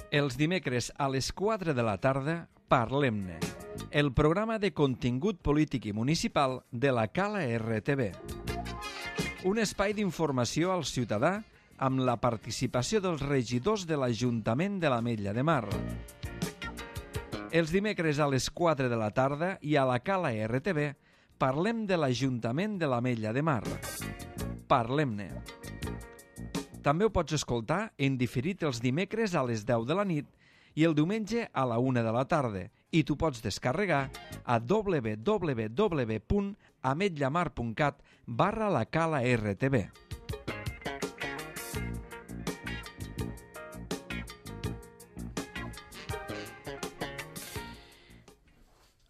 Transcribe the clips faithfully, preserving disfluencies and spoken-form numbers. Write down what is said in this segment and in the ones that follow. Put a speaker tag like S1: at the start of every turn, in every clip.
S1: Els dimecres a les quatre de la tarda, Parlem-ne, el programa de contingut polític i municipal de la Cala R T V. Un espai d'informació al ciutadà amb la participació dels regidors de l'Ajuntament de l'Ametlla de Mar. Els dimecres a les quatre de la tarda i a la Cala R T V parlem de l'Ajuntament de l'Ametlla de Mar. Parlem-ne. També ho pots escoltar en diferit els dimecres a les deu de la nit i el diumenge a la una de la tarda, i tu pots descarregar a w w w punt ametlamar punt cat barra la Cala R T V.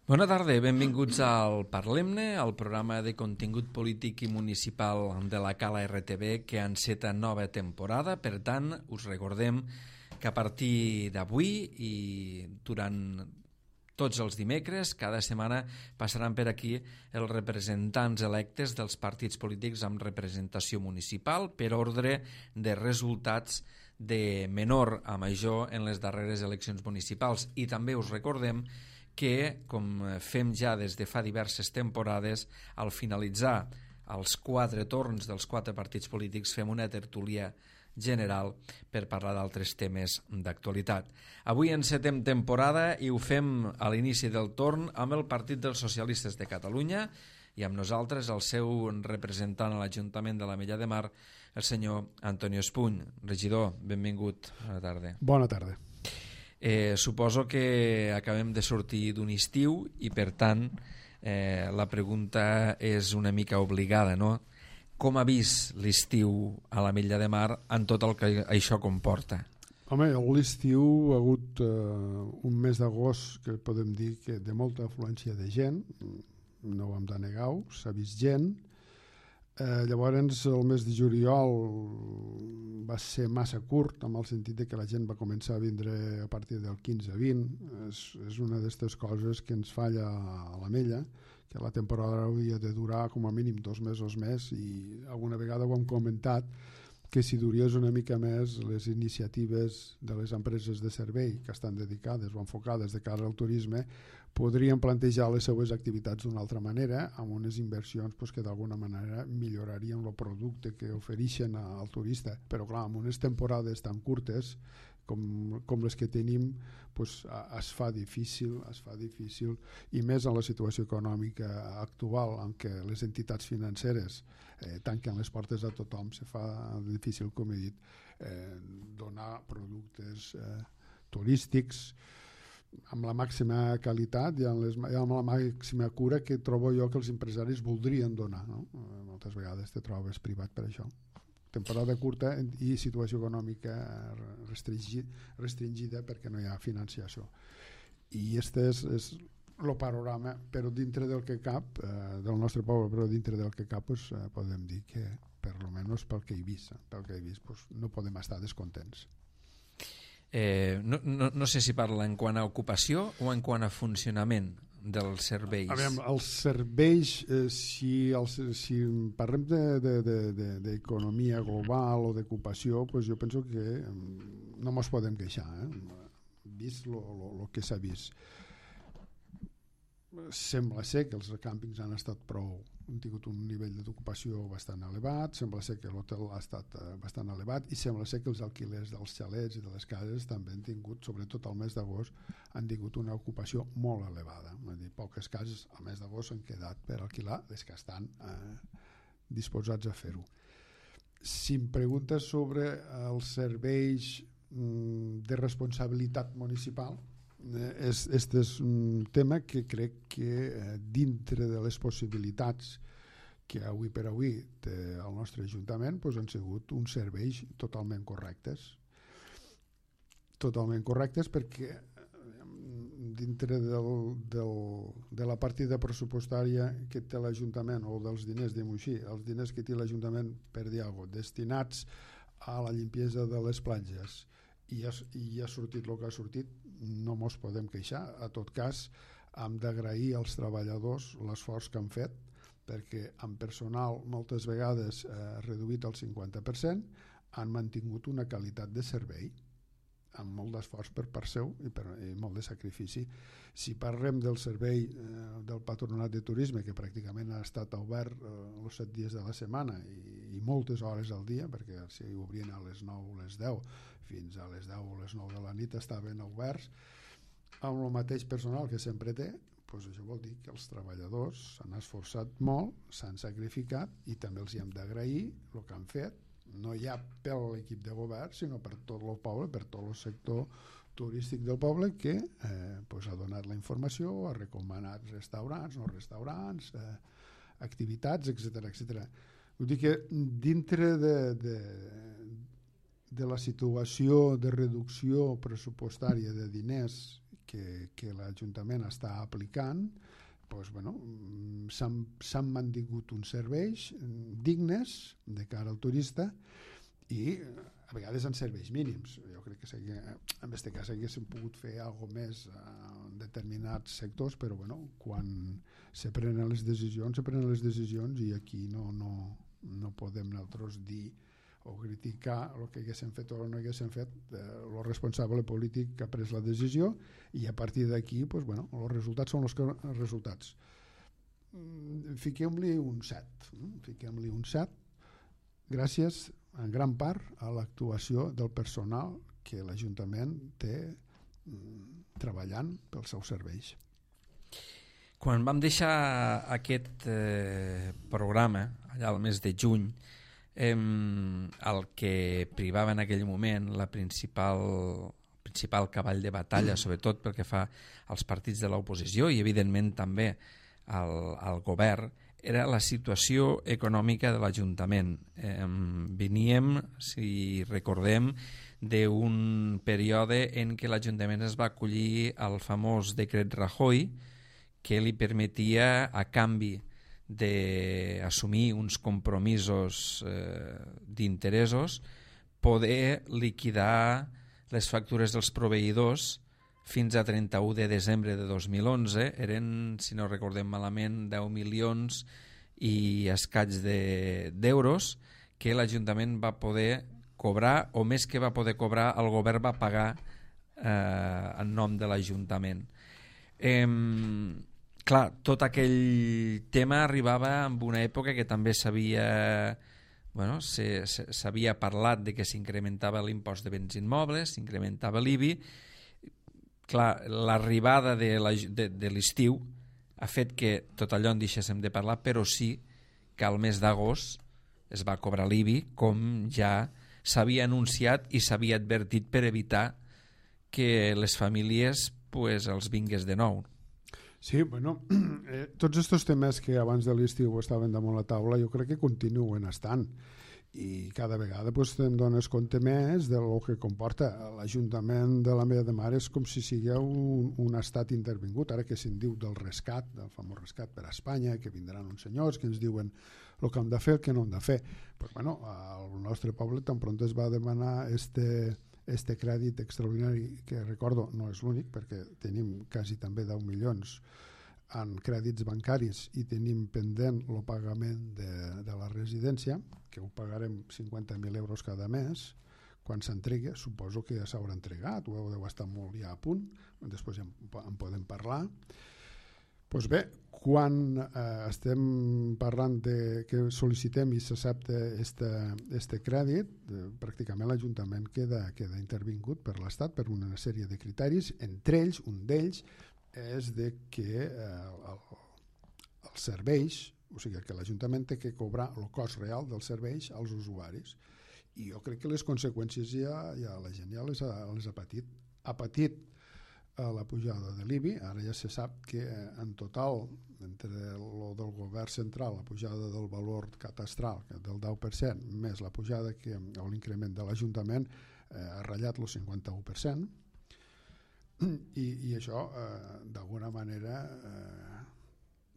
S1: Bona tarda, benvinguts al Parlem-ne, el programa de contingut polític i municipal de la Cala R T V que enceta nova temporada. Per tant, us recordem que a partir d'avui i durant tots els dimecres, cada setmana passaran per aquí els representants electes dels partits polítics amb representació municipal per ordre de resultats de menor a major en les darreres eleccions municipals. I també us recordem que, com fem ja des de fa diverses temporades, al finalitzar els quatre torns dels quatre partits polítics fem una tertúlia general per parlar d'altres temes d'actualitat. Avui encetem temporada i ho fem a l'inici del torn amb el Partit dels Socialistes de Catalunya i amb nosaltres el seu representant a l'Ajuntament de l'Ametlla de Mar, el senyor Antonio Espuny. Regidor, benvingut. Bona tarda.
S2: Bona tarda.
S1: Eh, suposo que acabem de sortir d'un estiu i per tant eh, la pregunta és una mica obligada, no? Com ha vist l'estiu a l'Ametlla de Mar en tot el que això comporta?
S2: Home, l'estiu ha hagut eh, un mes d'agost que podem dir que de molta afluència de gent, no ho hem de negar, s'ha vist gent. Eh, llavors el mes de juliol va ser massa curt, amb el sentit de que la gent va començar a vindre a partir del quinze vint. És, és una d'aquestes coses que ens falla a l'Ametlla, que la temporada hauria de durar com a mínim dos mesos més, i alguna vegada ho hem comentat que si duries una mica més les iniciatives de les empreses de servei que estan dedicades o enfocades de cara al turisme podrien plantejar les seues activitats d'una altra manera, amb unes inversions pues, que d'alguna manera millorarien el producte que ofereixen al turista. Però clar, amb unes temporades tan curtes com, com les que tenim pues, es fa difícil, es fa difícil, i més en la situació econòmica actual en què les entitats financeres eh, tanquen les portes a tothom, se fa difícil, com he dit, eh, donar productes eh, turístics amb la màxima qualitat i amb, les, amb la màxima cura que trobo jo que els empresaris voldrien donar, no? Moltes vegades te trobes privat per això. Temporada curta i situació econòmica restringida perquè no hi ha financiació. I este és, és el panorama, però dintre del que cap, eh, del nostre poble, però dintre del que cap pues, eh, podem dir que, per lo menys pel que he vist, pel que he vist pues, no podem estar descontents.
S1: Eh, no, no, no sé si parla en quant a ocupació o en quant a funcionament dels serveis.
S2: A veure, els serveis, eh, si, els, si parlem d'economia de, de, de, global o d'ocupació, pues jo penso que no ens podem queixar, eh? Vist el que s'ha vist. Sembla ser que els càmpings han estat prou, han tingut un nivell d'ocupació bastant elevat, sembla ser que l'hotel ha estat bastant elevat i sembla ser que els alquilers dels xalets i de les cases també han tingut, sobretot al mes d'agost, han tingut una ocupació molt elevada. Vull dir, poques cases al mes d'agost han quedat per alquilar les que estan eh, disposats a fer-ho. Si em preguntes sobre els serveis mm, de responsabilitat municipal, És, este és un tema que crec que eh, dintre de les possibilitats que avui per avui té el nostre Ajuntament pues, han sigut uns serveis totalment correctes totalment correctes perquè dintre del, del, de la partida pressupostària que té l'Ajuntament o dels diners, diguem-ho així, els diners que té l'Ajuntament per dir alguna cosa, destinats a la limpiesa de les platges i ha, i ha sortit el que ha sortit, no mos podem queixar. A tot cas, hem d'agrair als treballadors l'esforç que han fet, perquè amb personal moltes vegades eh, reduït al cinquanta per cent han mantingut una qualitat de servei amb molt d'esforç per part seu i, per, i molt de sacrifici. Si parlem del servei eh, del Patronat de Turisme, que pràcticament ha estat obert eh, els set dies de la setmana i, i moltes hores al dia, perquè si obrien a les nou o les deu fins a les deu o les nou de la nit estaven oberts, amb el mateix personal que sempre té, doncs això vol dir que els treballadors s'han esforçat molt, s'han sacrificat i també els hi hem d'agrair el que han fet, no ja per l'equip de govern, sinó per tot el poble, per tot el sector turístic del poble que eh, pues ha donat la informació, ha recomanat restaurants, no restaurants, eh, activitats, etcètera, etcètera. Vull dir que dintre de, de, de la situació de reducció pressupostària de diners que, que l'Ajuntament està aplicant, doncs, bueno, s'han mantingut uns serveis dignes de cara al turista i a vegades en serveis mínims. Jo crec que segui, en aquest cas haguéssim pogut fer alguna més en determinats sectors, però bueno, quan se prenen les decisions, se prenen les decisions i aquí no, no, no podem nosaltres dir o criticar el que haguéssim fet o no haguéssim fet, eh, el responsable polític que ha pres la decisió i a partir d'aquí, pues, bueno, els resultats són els, que, els resultats. Fiquem-li un set, fiquem-li un set, gràcies en gran part a l'actuació del personal que l'Ajuntament té mm, treballant pels seus serveis.
S1: Quan vam deixar aquest eh, programa, allà al mes de juny, eh, el que privava en aquell moment la principal, principal cavall de batalla, sobretot pel que fa als partits de l'oposició i evidentment també al, al govern, era la situació econòmica de l'Ajuntament. Eh, veníem, si recordem, d'un període en què l'Ajuntament es va acollir al famós decret Rajoy, que li permetia, a canvi d'assumir uns compromisos eh, d'interessos, poder liquidar les factures dels proveïdors fins a trenta-u de desembre de dos mil onze. Eren, si no recordem malament, deu milions i escaig d'euros de, que l'Ajuntament va poder cobrar, o més que va poder cobrar, el govern va pagar eh, en nom de l'Ajuntament. Eh, clar, tot aquell tema arribava en una època que també s'havia bueno, s'havia parlat de que s'incrementava l'impost de béns immobles, s'incrementava l'I B I. Clar, l'arribada de l'estiu ha fet que tot allò en deixéssim de parlar, però sí que al mes d'agost es va cobrar l'I B I, com ja s'havia anunciat i s'havia advertit per evitar que les famílies pues, els vingués de nou.
S2: Sí, bueno, eh, tots aquests temes que abans de l'estiu estaven damunt la taula jo crec que continuen estant i cada vegada pues, te'n dones compte més del que comporta. L'Ajuntament de la Mella de Mar és com si sigueu un, un estat intervingut, ara que se'n diu del rescat, del famós rescat per a Espanya, que vindran uns senyors que ens diuen el que hem de fer, el que no hem de fer. Pues, bueno, al nostre poble tan pront es va demanar este... este crèdit extraordinari, que recordo no és l'únic perquè tenim quasi també deu milions en crèdits bancaris i tenim pendent el pagament de, de la residència, que ho pagarem cinquanta mil euros cada mes. Quan s'entregui, suposo que ja s'haurà entregat, ho deu estar molt ja a punt, després ja en, en podem parlar. Doncs bé, quan eh, estem parlant de que sol·licitem i s'accepta este crèdit, eh, pràcticament l'Ajuntament queda, queda intervingut per l'Estat per una sèrie de criteris, entre ells, un d'ells és de que eh, el, els serveis, o sigui que l'Ajuntament té que cobrar el cost real dels serveis als usuaris. I jo crec que les conseqüències ja, ja la gent ja les ha, les ha patit. Ha patit a la pujada de l'I B I, ara ja se sap que en total, entre el del govern central, la pujada del valor catastral del deu per cent, més la pujada que, o l'increment de l'Ajuntament, eh, ha ratllat el cinquanta-u per cent, i, i això eh, d'alguna manera eh,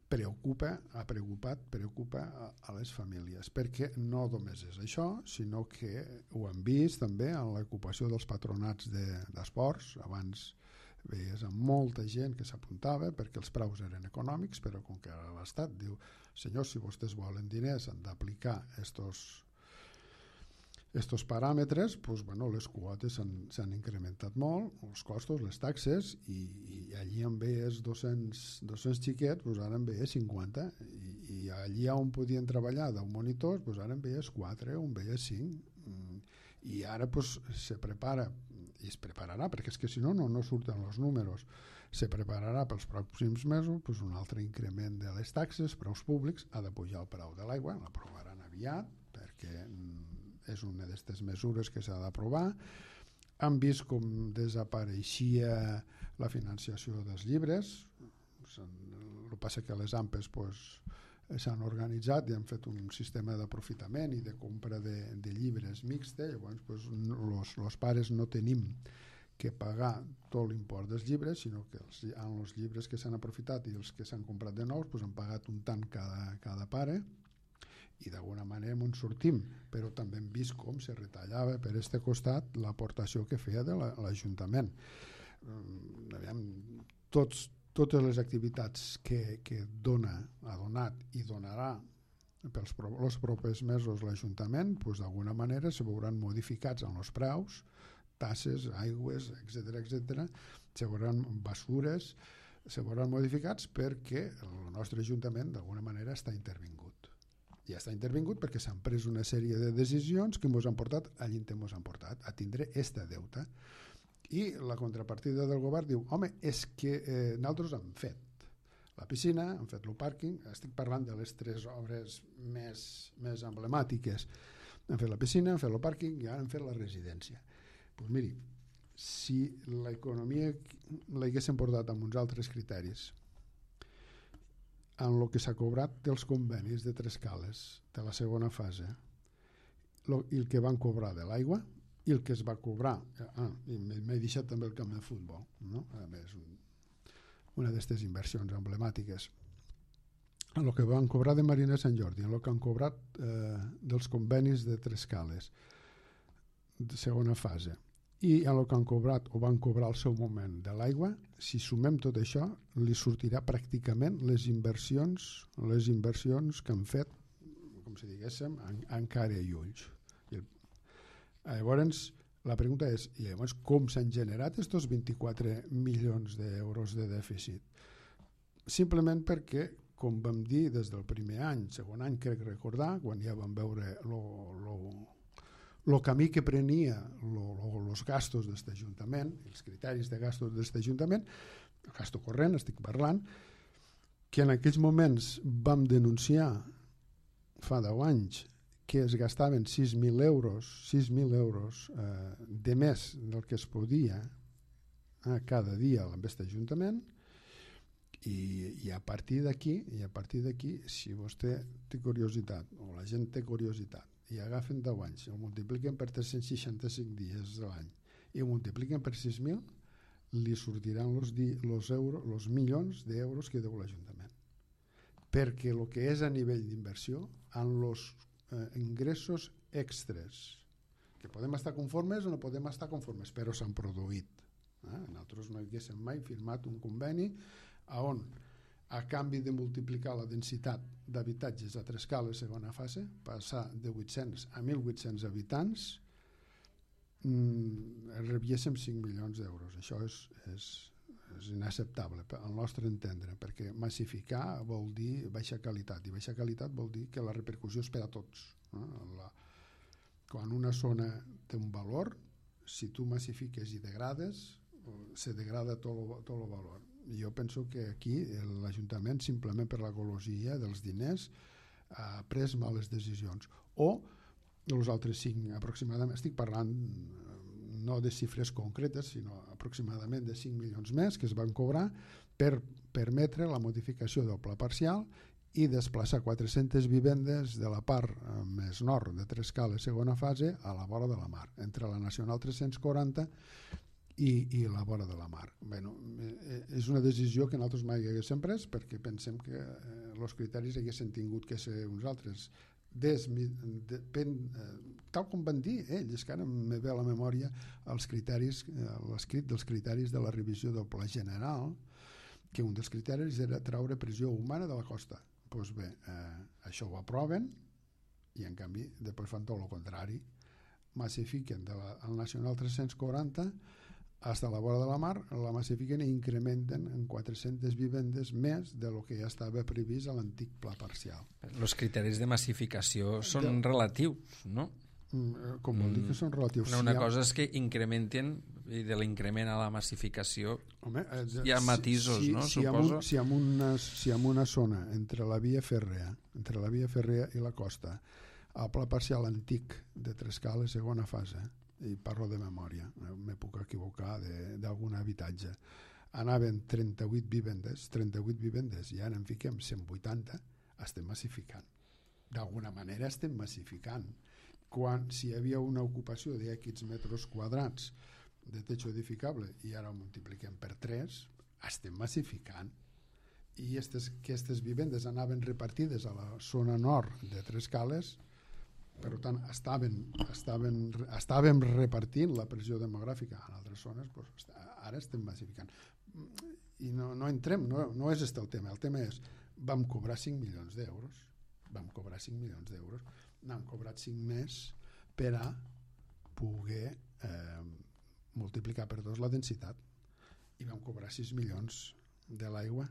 S2: preocupa, ha preocupat, preocupa a, a les famílies, perquè no només és això, sinó que ho hem vist també en l'ocupació dels patronats d'esports. De, abans veies amb molta gent que s'apuntava perquè els preus eren econòmics, però com que l'Estat diu, senyors, si vostès volen diners han d'aplicar estos, Estos paràmetres, doncs, bueno, les quotes s'han incrementat molt, els costos, les taxes, i, i allí en veies dos-cents, dos-cents xiquets, doncs ara en veies cinquanta, i, i allí on podien treballar deu monitors, doncs ara en veies quatre o en veies cinc, i ara doncs, se prepara, i es prepararà, perquè és que si no, no, no surten els números, se prepararà pels pròxims mesos doncs, un altre increment de les taxes, preus públics, ha de pujar el preu de l'aigua, l'aprovaran aviat, perquè és una d'aquestes mesures que s'ha d'aprovar. Han vist com desapareixia la financiació dels llibres. El que passa que les A M P es pues, s'han organitzat i han fet un sistema d'aprofitament i de compra de, de llibres mixte. Llavors, pues, los, los pares no tenim que pagar tot l'import dels llibres, sinó que els, en els llibres que s'han aprofitat i els que s'han comprat de nous pues, han pagat un tant cada, cada pare, i d'alguna manera ens sortim, però també hem vist com se retallava per este costat l'aportació que feia de l'Ajuntament. Aviam, tots, totes les activitats que, que dona, ha donat i donarà pels els propers mesos l'Ajuntament, doncs d'alguna manera se veuran modificats en els preus, tasses, aigües, etcètera, etcètera, se veuran basures, se veuran modificats perquè el nostre Ajuntament d'alguna manera està intervingut. I està intervingut perquè s'han pres una sèrie de decisions que ens han portat allí on ens han portat, a tindre este deute. I la contrapartida del govern diu, home, és que eh, nosaltres hem fet la piscina, hem fet el pàrquing, estic parlant de les tres obres més, més emblemàtiques. Hem fet la piscina, hem fet el pàrquing i ara hem fet la residència. Doncs pues miri, si l'economia l'haguessin portat amb uns altres criteris, en el que s'ha cobrat dels convenis de tres cales de la segona fase, lo, i el que van cobrar de l'aigua, i el que es va cobrar, ah, i m'he deixat també el camp de futbol, no? A més, un, una d'aquestes inversions emblemàtiques, en el que van cobrar de Marina Sant Jordi, en el que han cobrat eh, dels convenis de tres cales de segona fase, i en el que han cobrat o van cobrar al seu moment de l'aigua, si sumem tot això, li sortirà pràcticament les inversions, les inversions que han fet, com si diguéssim, en, en cara i ulls. I el, llavors, la pregunta és, i llavors com s'han generat aquests vint-i-quatre milions d'euros de dèficit? Simplement perquè, com vam dir des del primer any, segon any crec recordar, quan ja vam veure lo, lo el camí que prenia els gastos d'aquest Ajuntament, els criteris de gastos d'aquest Ajuntament, el gasto corrent, estic parlant, que en aquells moments vam denunciar fa deu anys que es gastaven sis mil euros, sis mil euros eh, de més del que es podia eh, cada dia amb aquest Ajuntament, i, i a partir d'aquí, i a partir d'aquí, si vostè té curiositat, o la gent té curiositat, i agafen deu anys, el multipliquen per tres-cents seixanta-cinc dies de l'any i el multipliquen per sis mil, li sortiran els los milions d'euros que deu l'Ajuntament. Perquè el que és a nivell d'inversió, en els eh, ingressos extres, que podem estar conformes o no podem estar conformes, però s'han produït. Eh? Nosaltres no haguéssim mai firmat un conveni on a canvi de multiplicar la densitat d'habitatges a tres cales segona fase, passar de vuit-cents a mil vuit-cents habitants, mmm, rebiéssim cinc milions d'euros. Això és, és, és inacceptable al nostre entendre, perquè massificar vol dir baixa qualitat, i baixa qualitat vol dir que la repercussió és per a tots. No? La, quan una zona té un valor, si tu massifiques i degrades, se degrada tot el valor. Jo penso que aquí l'Ajuntament, simplement per la golosia dels diners, ha pres males decisions. O els altres cinc, aproximadament, estic parlant no de xifres concretes, sinó aproximadament de cinc milions més que es van cobrar per permetre la modificació del pla parcial i desplaçar quatre-centes vivendes de la part més nord de tres cales segona fase a la vora de la mar, entre la Nacional tres-cents quaranta i, i la vora de la mar. Bueno, és una decisió que nosaltres mai haguéssim pres perquè pensem que els eh, criteris haguessin tingut que ser uns altres. Des, de, pen, eh, tal com van dir ells, que ara me ve a la memòria els criteris, eh, l'escrit dels criteris de la revisió del pla general, que un dels criteris era treure pressió humana de la costa. Doncs pues bé, eh, això ho aproven i en canvi després fan tot el contrari. massifiquen del Nacional tres-cents quaranta fins a la vora de la mar, la massifiquen i incrementen en quatre-centes vivendes més de lo que ja estava previst a l'antic pla parcial.
S1: Els criteris de massificació són de... relatius, no?
S2: Com vol dir que són relatius?
S1: Una, una cosa és que incrementen, i de l'increment a la massificació Home, eh, hi ha matisos,
S2: si, si,
S1: no?
S2: Si
S1: Suposo.
S2: Un, si, en una, si en una zona entre la via fèrrea, entre la via fèrrea i la costa, el pla parcial antic de Trescales, segona fase, i parlo de memòria, me puc equivocar d'algun habitatge, anaven trenta-vuit vivendes, trenta-vuit vivendes, i ara en fiquem cent vuitanta, estem massificant. D'alguna manera estem massificant. Quan, si hi havia una ocupació d'X metres quadrats de techo edificable i ara ho multipliquem per tres, estem massificant. I estes, aquestes vivendes anaven repartides a la zona nord de Trescales, per tant estaven, estaven, estàvem repartint la pressió demogràfica en altres zones, doncs ara estem massificant. I no, no entrem, no, no és este el tema, el tema és, vam cobrar cinc milions d'euros, vam cobrar cinc milions d'euros, n'hem cobrat cinc més per a poder eh, multiplicar per dos la densitat, i vam cobrar sis milions de l'aigua,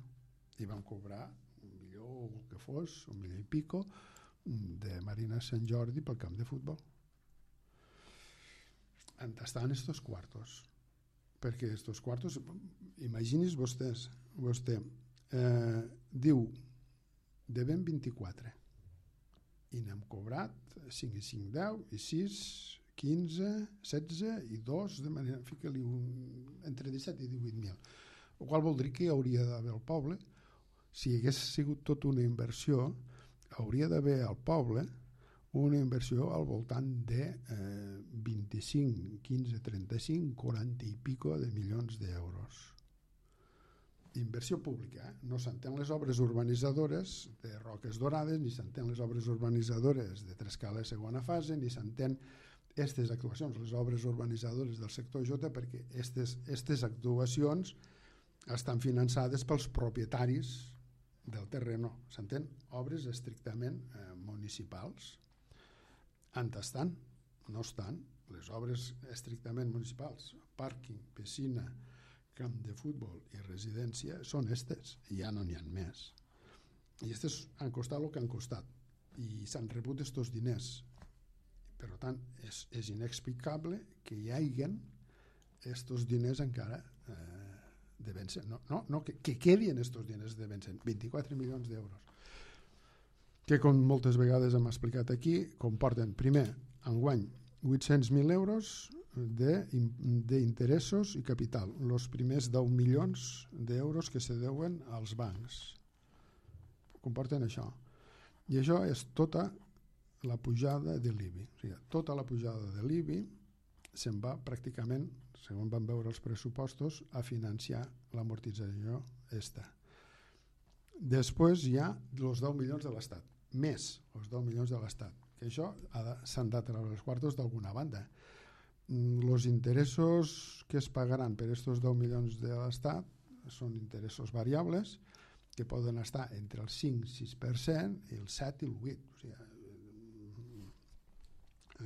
S2: i vam cobrar un milió o el que fos, un milió i pico, de Marina Sant Jordi pel camp de futbol. On estan estos quartos? Perquè estos quartos, imagini's vostès, vostè eh, diu devem vint-i-quatre i n'hem cobrat cinc i cinc, deu i sis, quinze, setze i dos, de manera, fica-li un, entre disset i divuit mil. El qual vol dir que hi hauria d'haver al poble, si hagués sigut tot una inversió, hauria d'haver al poble una inversió al voltant de eh, vint-i-cinc, quinze, trenta-cinc, quaranta i pico de milions d'euros. Inversió pública, eh? No s'entén les obres urbanitzadores de Roques Dorades, ni s'entén les obres urbanitzadores de Trescales segona fase, ni s'entén aquestes actuacions, les obres urbanitzadores del sector J, perquè aquestes actuacions estan finançades pels propietaris del terreno, s'entén? Obres estrictament eh, municipals. En estan, no estan, les obres estrictament municipals, pàrquing, piscina, camp de futbol i residència, són estes, i ja no n'hi ha més. I estes han costat el que han costat, i s'han rebut estos diners. Per tant, és, és inexplicable que hi hagin estos diners encara eh, de vèncer, no, no, no que, que quedin estos diners de vèncer, vint-i-quatre milions d'euros, que com moltes vegades hem explicat aquí, comporten primer, enguany, vuit-cents mil euros d'interessos i capital, els primers deu milions d'euros que se deuen als bancs, comporten això, i això és tota la pujada de l'I B I, o sigui, tota la pujada de l'I B I se'n va pràcticament, segons vam veure els pressupostos, a financiar l'amortització esta. Després hi ha els deu milions de l'Estat, més els deu milions de l'Estat, que això s'han de treure els quartos d'alguna banda. Els interessos que es pagaran per aquests deu milions de l'Estat són interessos variables que poden estar entre el cinc i sis per cent i el set i el vuit. O sigui,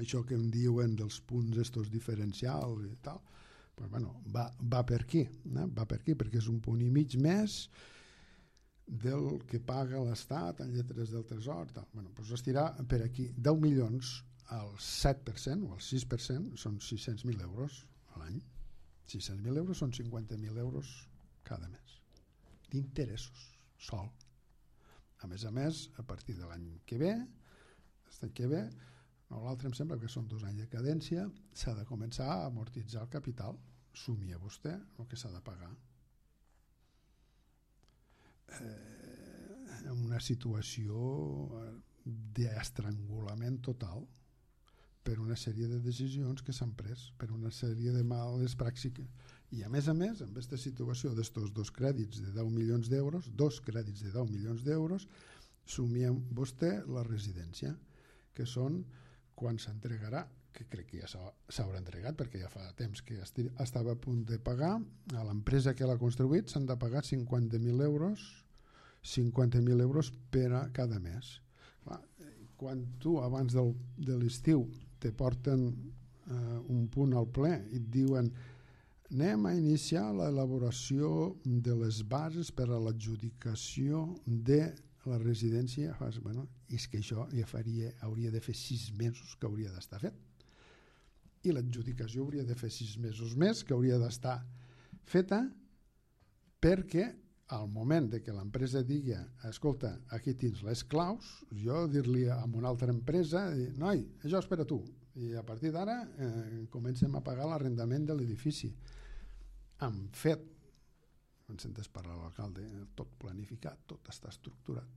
S2: això que em diuen dels punts estos diferencials i tal, pues bueno, va, va per aquí, no? Va per aquí, perquè és un punt i mig més del que paga l'Estat en lletres del Tresor. Tal. Bueno, pues estirà per aquí deu milions al set per cent o al sis per cent són sis-cents mil euros a l'any. sis-cents mil euros són cinquanta mil euros cada mes d'interessos, sol. A més a més, a partir de l'any que ve, l'any que ve, no, l'altre em sembla que són dos anys de cadència, s'ha de començar a amortitzar el capital. Sumia vostè el que s'ha de pagar. Eh, en una situació d'estrangulament total per una sèrie de decisions que s'han pres, per una sèrie de males pràctiques. I a més a més, en aquesta situació d'estos dos crèdits de deu milions d'euros, dos crèdits de deu milions d'euros, sumiem vostè la residència, que són quan s'entregarà, que crec que ja s'haurà entregat perquè ja fa temps que estava a punt de pagar, a l'empresa que l'ha construït s'han de pagar cinquanta mil euros, cinquanta mil euros per a cada mes. Clar, quan tu abans del, de l'estiu te porten eh, un punt al ple i et diuen anem a iniciar l'elaboració de les bases per a l'adjudicació de la residència. Bueno, és que això ja faria, hauria de fer sis mesos que hauria d'estar fet. I l'adjudicació hauria de fer sis mesos més que hauria d'estar feta, perquè al moment de que l'empresa digui escolta, aquí tens les claus, jo dir-li a una altra empresa noi, això és per a tu, i a partir d'ara eh, comencem a pagar l'arrendament de l'edifici. Han fet, en sentes parlar l'alcalde, tot planificat, tot està estructurat.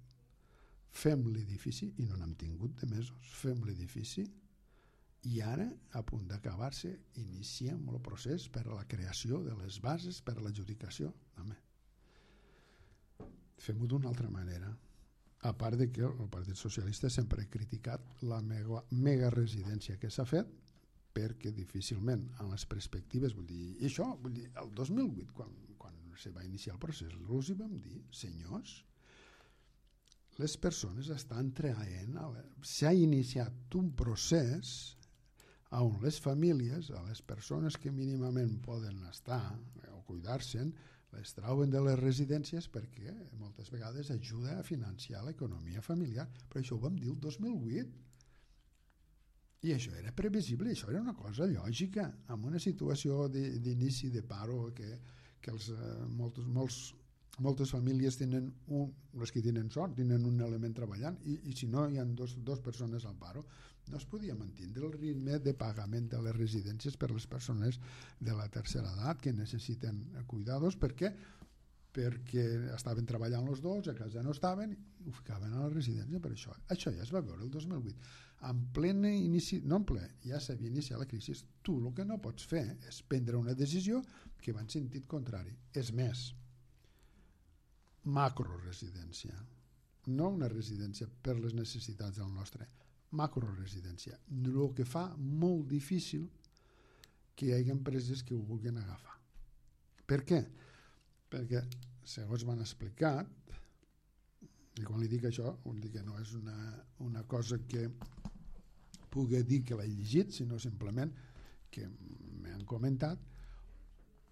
S2: Fem l'edifici, i no n'hem tingut de mesos, fem l'edifici, i ara, a punt d'acabar-se, iniciem el procés per a la creació de les bases per a l'adjudicació. Home, fem-ho d'una altra manera. A part de que el Partit Socialista sempre ha criticat la mega, mega residència que s'ha fet, perquè difícilment en les perspectives, vull dir, i això, vull dir, el dos mil vuit, quan, quan se va iniciar el procés, els hi vam dir, senyors, les persones estan traient, s'ha iniciat un procés on les famílies, a les persones que mínimament poden estar o cuidar-se'n, les trauen de les residències perquè moltes vegades ajuda a financiar l'economia familiar. Però això ho vam dir el dos mil vuit. I això era previsible, això era una cosa lògica, en una situació d'inici de paro que, que els, molts, molts, moltes famílies tenen un, les que tenen sort, tenen un element treballant, i, i si no hi ha dos, dos persones al paro, no es podia mantenir el ritme de pagament de les residències per les persones de la tercera edat que necessiten cuidados. Per què? Perquè estaven treballant els dos, a casa no estaven, ho ficaven a la residència per això. Això ja es va veure el dos mil vuit. En plena inici, no en ple, ja s'havia iniciat la crisi. Tu el que no pots fer és prendre una decisió que va en sentit contrari. És més, macroresidència, no una residència per les necessitats del nostre, macroresidència, el que fa molt difícil que hi hagi empreses que ho vulguin agafar. Per què? Perquè, segons m'han explicat, i quan li dic això, vull dir que no és una, una cosa que pugui dir que l'he llegit, sinó simplement que m'han comentat,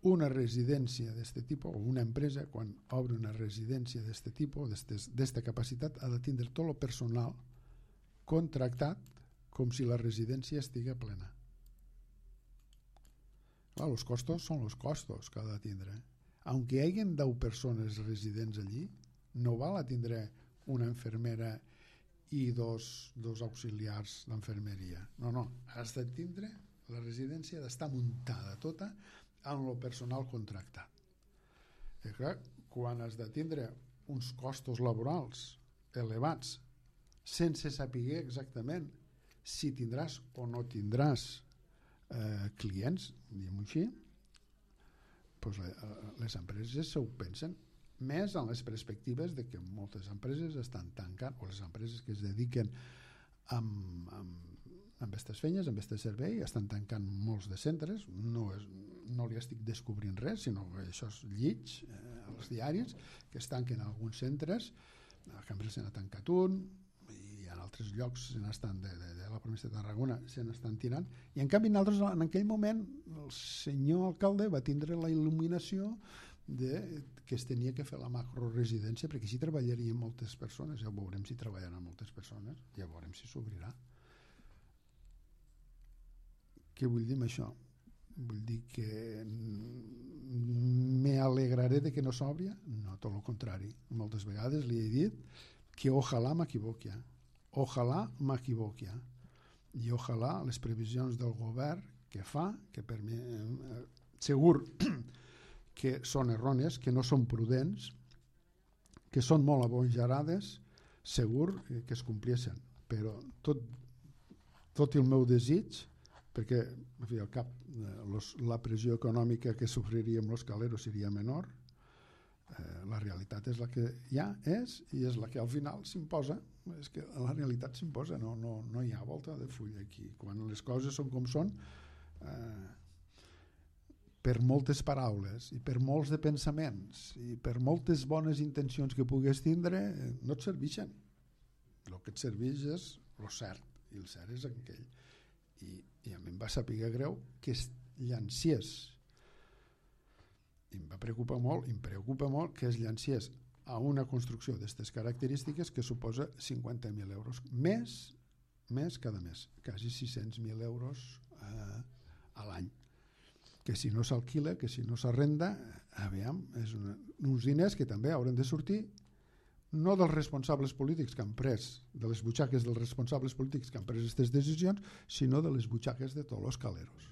S2: una residència d'aquest tipus, o una empresa, quan obre una residència d'aquest tipus, d'aquesta capacitat, ha de tindre tot el personal contractat com si la residència estigui plena. Clar, els costos són els costos que ha de tindre. Aunque hi hagi deu persones residents allí, no val a tindre una infermera i dos, dos auxiliars d'enfermeria. No, no, has de tindre, la residència ha d'estar muntada tota amb el personal contractat. I clar, quan has de tindre uns costos laborals elevats sense saber exactament si tindràs o no tindràs eh, clients, diguem-ho així, doncs les empreses s'ho pensen, més en les perspectives de que moltes empreses estan tancant, o les empreses que es dediquen amb, amb, amb aquestes feines, amb aquest servei, estan tancant molts de centres, no, és, no li estic descobrint res, sinó que això és llits, eh, als diaris, que es tanquen alguns centres, a Cambrils se n'ha tancat un, i en altres llocs se n'estan de, de, de la província de Tarragona se n'estan tirant, i en canvi nosaltres en aquell moment el senyor alcalde va tindre la il·luminació de que es tenia que fer la macroresidència perquè així treballarien moltes persones. Ja veurem si treballaran moltes persones, ja veurem si s'obrirà. Què vull dir amb això? Vull dir que me alegraré de que no s'obri? No, tot el contrari. Moltes vegades li he dit que ojalà m'equivoqui, ojalà m'equivoqui, i ojalà les previsions del govern que fa, que per mi eh, segur que són errònies, que no són prudents, que són molt abojarades, segur que es compleixen, però tot, tot el meu desig, perquè en fi, al cap los, la pressió econòmica que sofriríem els caleros seria menor, eh, la realitat és la que ja és i és la que al final s'imposa. És que la realitat s'imposa, no, no, no hi ha volta de full aquí. Quan les coses són com són, eh, per moltes paraules i per molts de pensaments i per moltes bones intencions que pugues tindre, no et serveixen. El que et serveix és el cert, i el cert és aquell. I, i a mi em va saber greu que es llanciés, i em va preocupar molt, i em preocupa molt que es llanciés a una construcció d'aquestes característiques que suposa cinquanta mil euros més, més cada mes, quasi sis-cents mil euros eh, a l'any, que si no s'alquila, que si no s'arrenda, aviam, és una, uns diners que també hauran de sortir no dels responsables polítics que han pres, de les butxaques dels responsables polítics que han pres aquestes decisions, sinó de les butxaques de tots els caleros.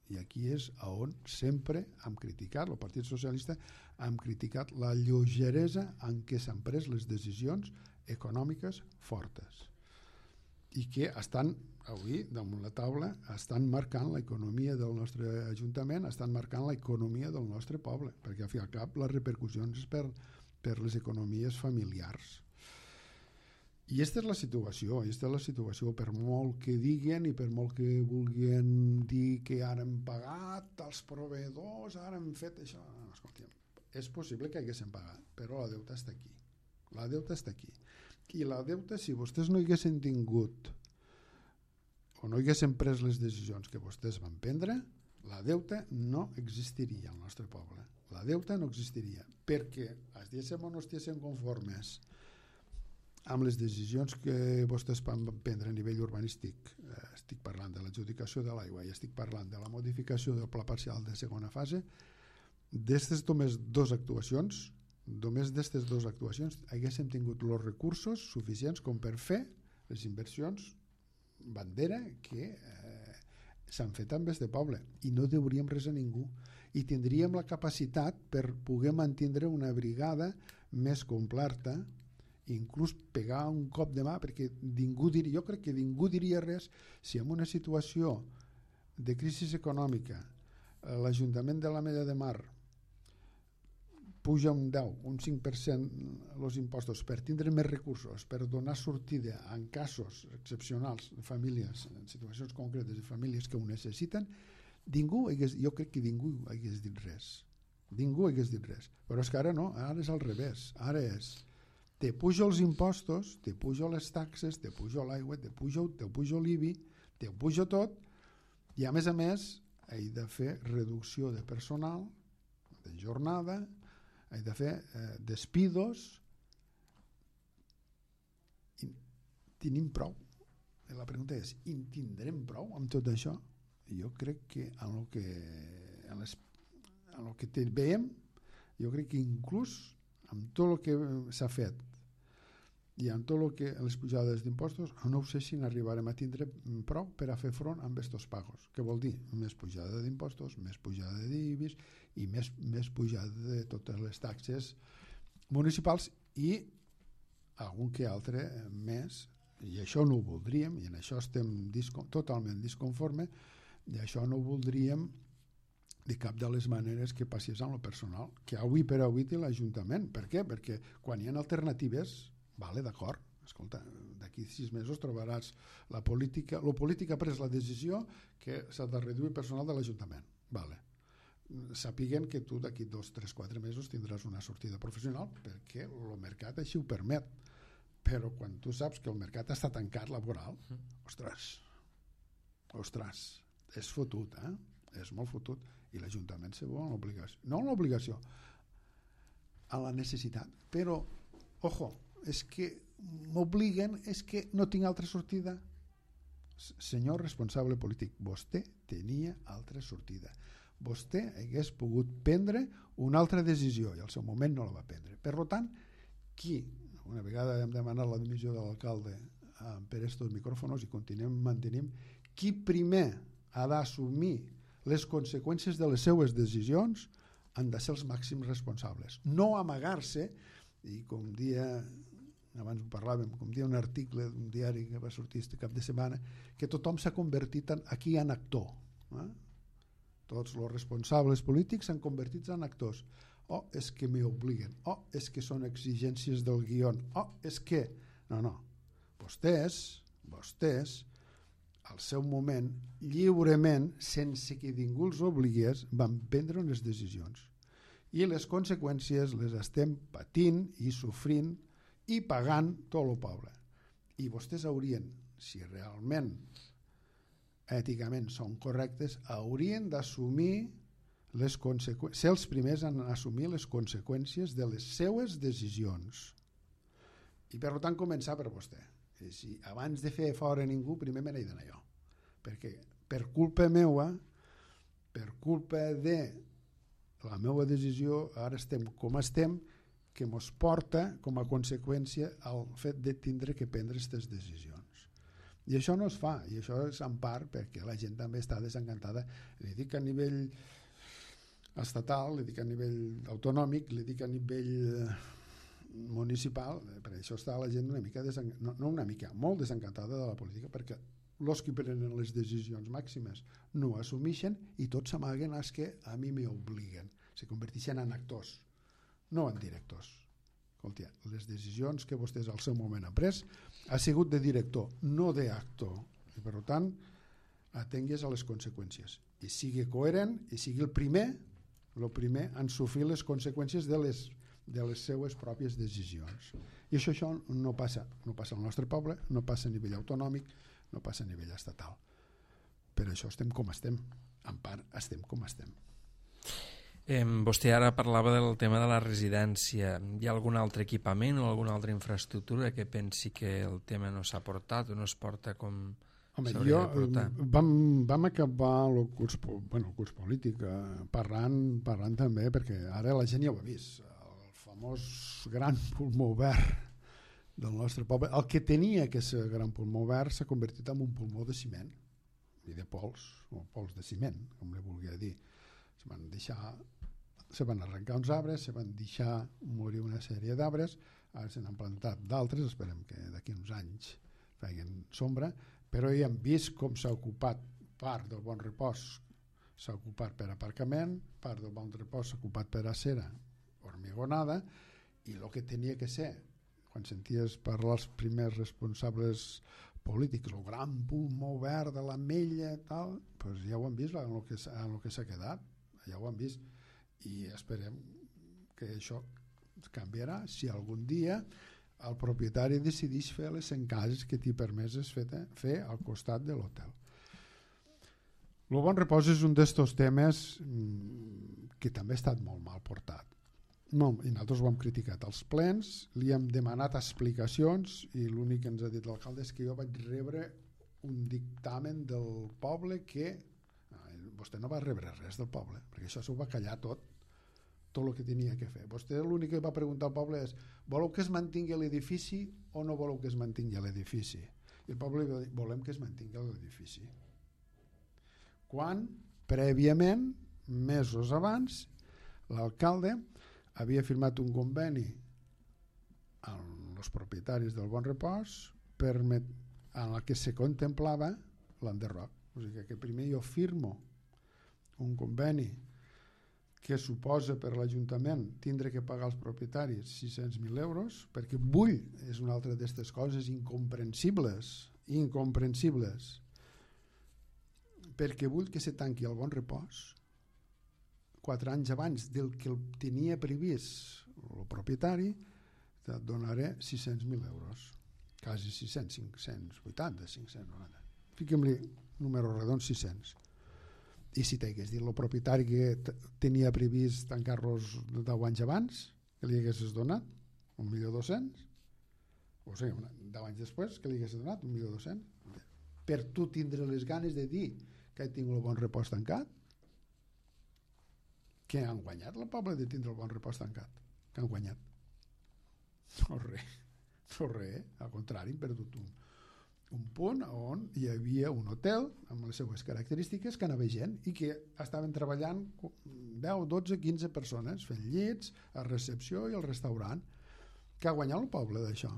S2: I aquí és on sempre hem criticat, el Partit Socialista, hem criticat la lleugeresa en què s'han pres les decisions econòmiques fortes i que estan avui damunt la taula, estan marcant l'economia del nostre Ajuntament, estan marcant l'economia del nostre poble, perquè al fi i al cap les repercussions per, per les economies familiars. I aquesta és la situació, aquesta és la situació, per molt que diguen i per molt que vulguin dir que ara hem pagat els proveïdors, ara hem fet això. No, escolta'm, és possible que haguéssim pagat, però la deuta està aquí. La deuta està aquí. I la deuta, si vostès no haguessin tingut o no haguessin pres les decisions que vostès van prendre, la deuta no existiria al nostre poble. La deuta no existiria, perquè estiguéssim o no estiguéssim conformes amb les decisions que vostès van prendre a nivell urbanístic, eh, estic parlant de l'adjudicació de l'aigua i estic parlant de la modificació del pla parcial de segona fase, d'aquestes només dues actuacions, només d'aquestes dues actuacions haguéssim tingut els recursos suficients com per fer les inversions bandera que eh, s'han fet amb este poble i no deuríem res a ningú i tindríem la capacitat per poder mantenir una brigada més completa, inclús pegar un cop de mà, perquè ningú diria, jo crec que ningú diria res si en una situació de crisi econòmica l'Ajuntament de l'Ametlla de Mar puja un deu, un cinc per cent els impostos per tindre més recursos, per donar sortida en casos excepcionals de famílies, en situacions concretes de famílies que ho necessiten, ningú hagués, jo crec que ningú hagués dit res. Ningú hagués dit res. Però és que ara no, ara és al revés. Ara és te pujo els impostos, te pujo les taxes, te pujo l'aigua, te pujo, te pujo l'I B I, te pujo tot, i a més a més he de fer reducció de personal, de jornada, he de fer eh, despidos, i tenim prou. I la pregunta és, i tindrem prou amb tot això? I jo crec que en el que, en les, en el que veiem, jo crec que inclús amb tot el que s'ha fet i amb tot el que les pujades d'impostos, no sé si n'arribarem a tindre prou per a fer front amb aquests pagos. Què vol dir? Més pujada d'impostos, més pujada d'I B I S i més, més pujada de totes les taxes municipals i algun que altre més, i això no ho voldríem, i en això estem disco, totalment disconforme, i això no ho voldríem de cap de les maneres que passés amb el personal, que avui per avui té l'Ajuntament. Per què? Perquè quan hi ha alternatives, vale, d'acord, escolta, d'aquí sis mesos trobaràs la política, la política ha pres la decisió que s'ha de reduir personal de l'Ajuntament, vale. Sàpiguen que tu d'aquí dos, tres, quatre mesos tindràs una sortida professional perquè el mercat així ho permet, però quan tu saps que el mercat està tancat laboral, ostres, ostres, és fotut, eh? És molt fotut, i l'Ajuntament se veu en l'obligació, no en l'obligació, a la necessitat, però, ojo, és que m'obliguen, és que no tinc altra sortida. Senyor responsable polític, vostè tenia altra sortida. Vostè hagués pogut prendre una altra decisió i al seu moment no la va prendre. Per tant, qui, una vegada hem demanat la dimissió de l'alcalde eh, per estos micròfons i continuem mantenim, qui primer ha d'assumir les conseqüències de les seues decisions han de ser els màxims responsables. No amagar-se, i com dia, abans ho parlàvem, com dia un article d'un diari que va sortir este cap de setmana, que tothom s'ha convertit en, aquí en actor. Eh? Tots els responsables polítics s'han convertit en actors. Oh, és que m'hi obliguen. Oh, és que són exigències del guió. Oh, és que... No, no. Vostès, vostès, al seu moment, lliurement, sense que ningú els obligués, van prendre unes decisions. I les conseqüències les estem patint i sofrint i pagant tot el poble. I vostès haurien, si realment èticament són correctes, haurien d'assumir les conseqüències, ser els primers en assumir les conseqüències de les seues decisions. I per tant començar per vostè. I si abans de fer fora ningú, primer me n'he d'anar jo. Perquè per culpa meua, per culpa de la meva decisió, ara estem com estem, que mos porta com a conseqüència el fet de tindre que prendre aquestes decisions. I això no es fa, i això és en part perquè la gent també està desencantada. Li dic a nivell estatal, li dic a nivell autonòmic, li dic a nivell municipal, per això està la gent una mica desencantada, no, no una mica, molt desencantada de la política, perquè els que prenen les decisions màximes no ho assumeixen i tots s'amaguen els que a mi m'obliguen, se converteixen en actors, no en directors. Escolta, les decisions que vostès al seu moment han pres ha sigut de director, no d'actor, i per tant atengues a les conseqüències i sigui coherent i sigui el primer el primer en sofrir les conseqüències de les, de les seues pròpies decisions. I això, això no passa, no passa al nostre poble, no passa a nivell autonòmic, no passa a nivell estatal. Per això estem com estem. En part, estem com estem.
S1: Eh, vostè ara parlava del tema de la residència. Hi ha algun altre equipament o alguna altra infraestructura que pensi que el tema no s'ha portat o no es porta com...
S2: Home, jo, vam, vam acabar el curs, bueno, el curs polític eh, parlant, parlant també, perquè ara la gent ja ho ha vist, el famós gran pulmó verd del nostre poble, el que tenia que ser gran pulmó verd s'ha convertit en un pulmó de ciment i de pols, o pols de ciment, com li volia dir. Se van deixar, se van arrencar uns arbres, se van deixar morir una sèrie d'arbres, ara se n'han plantat d'altres, esperem que d'aquí uns anys facin sombra, però ja hem vist com s'ha ocupat part del Bon Repòs, s'ha ocupat per aparcament, part del Bon Repòs s'ha ocupat per acera hormigonada, i el que tenia que ser, quan senties parlar els primers responsables polítics, el gran pulmó verd de l'Ametlla, tal, doncs ja ho han vist en el que, en el que s'ha quedat, ja ho han vist, i esperem que això canviarà si algun dia el propietari decideix fer les cent cases que t'hi permeses fer, fer al costat de l'hotel. El Bon Repòs és un d'estos temes que també ha estat molt mal portat. No, i nosaltres ho hem criticat als plens, li hem demanat explicacions i l'únic que ens ha dit l'alcalde és que jo vaig rebre un dictamen del poble que vostè no va rebre res del poble, perquè això s'ho va callar tot, tot el que tenia que fer. Vostè l'únic que va preguntar al poble és: voleu que es mantingui l'edifici o no voleu que es mantingui l'edifici? I el poble va dir: volem que es mantingui l'edifici. Quan, prèviament, mesos abans, l'alcalde havia firmat un conveni amb els propietaris del Bon Repòs permet, en el que se contemplava l'enderroc. O sigui que primer jo firmo un conveni que suposa per l'Ajuntament tindre que pagar als propietaris sis-cents mil euros, perquè vull, és una altra d'aquestes coses incomprensibles, incomprensibles, perquè vull que se tanqui el Bon Repòs quatre anys abans del que el tenia previst el propietari, et donaré sis-cents mil euros, quasi sis-cents, cinc-cents vuitanta, cinc-cents noranta. Fiquem-li número redons, sis-cents. I si t'hagués dit el propietari que tenia previst tancar-los deu anys abans, que li haguessis donat un milió dos-cents, o sigui, deu anys després que li haguessis donat un milió dos-cents, per tu tindre les ganes de dir que he tingut el Bon Repòs tancat, que han guanyat el poble de tindre el Bon Repòs tancat, que han guanyat. No res, no res, al contrari, hem perdut un un punt on hi havia un hotel amb les seues característiques que anava gent i que estaven treballant deu, dotze, quinze persones fent llits, a recepció i al restaurant. Que ha guanyat el poble d'això?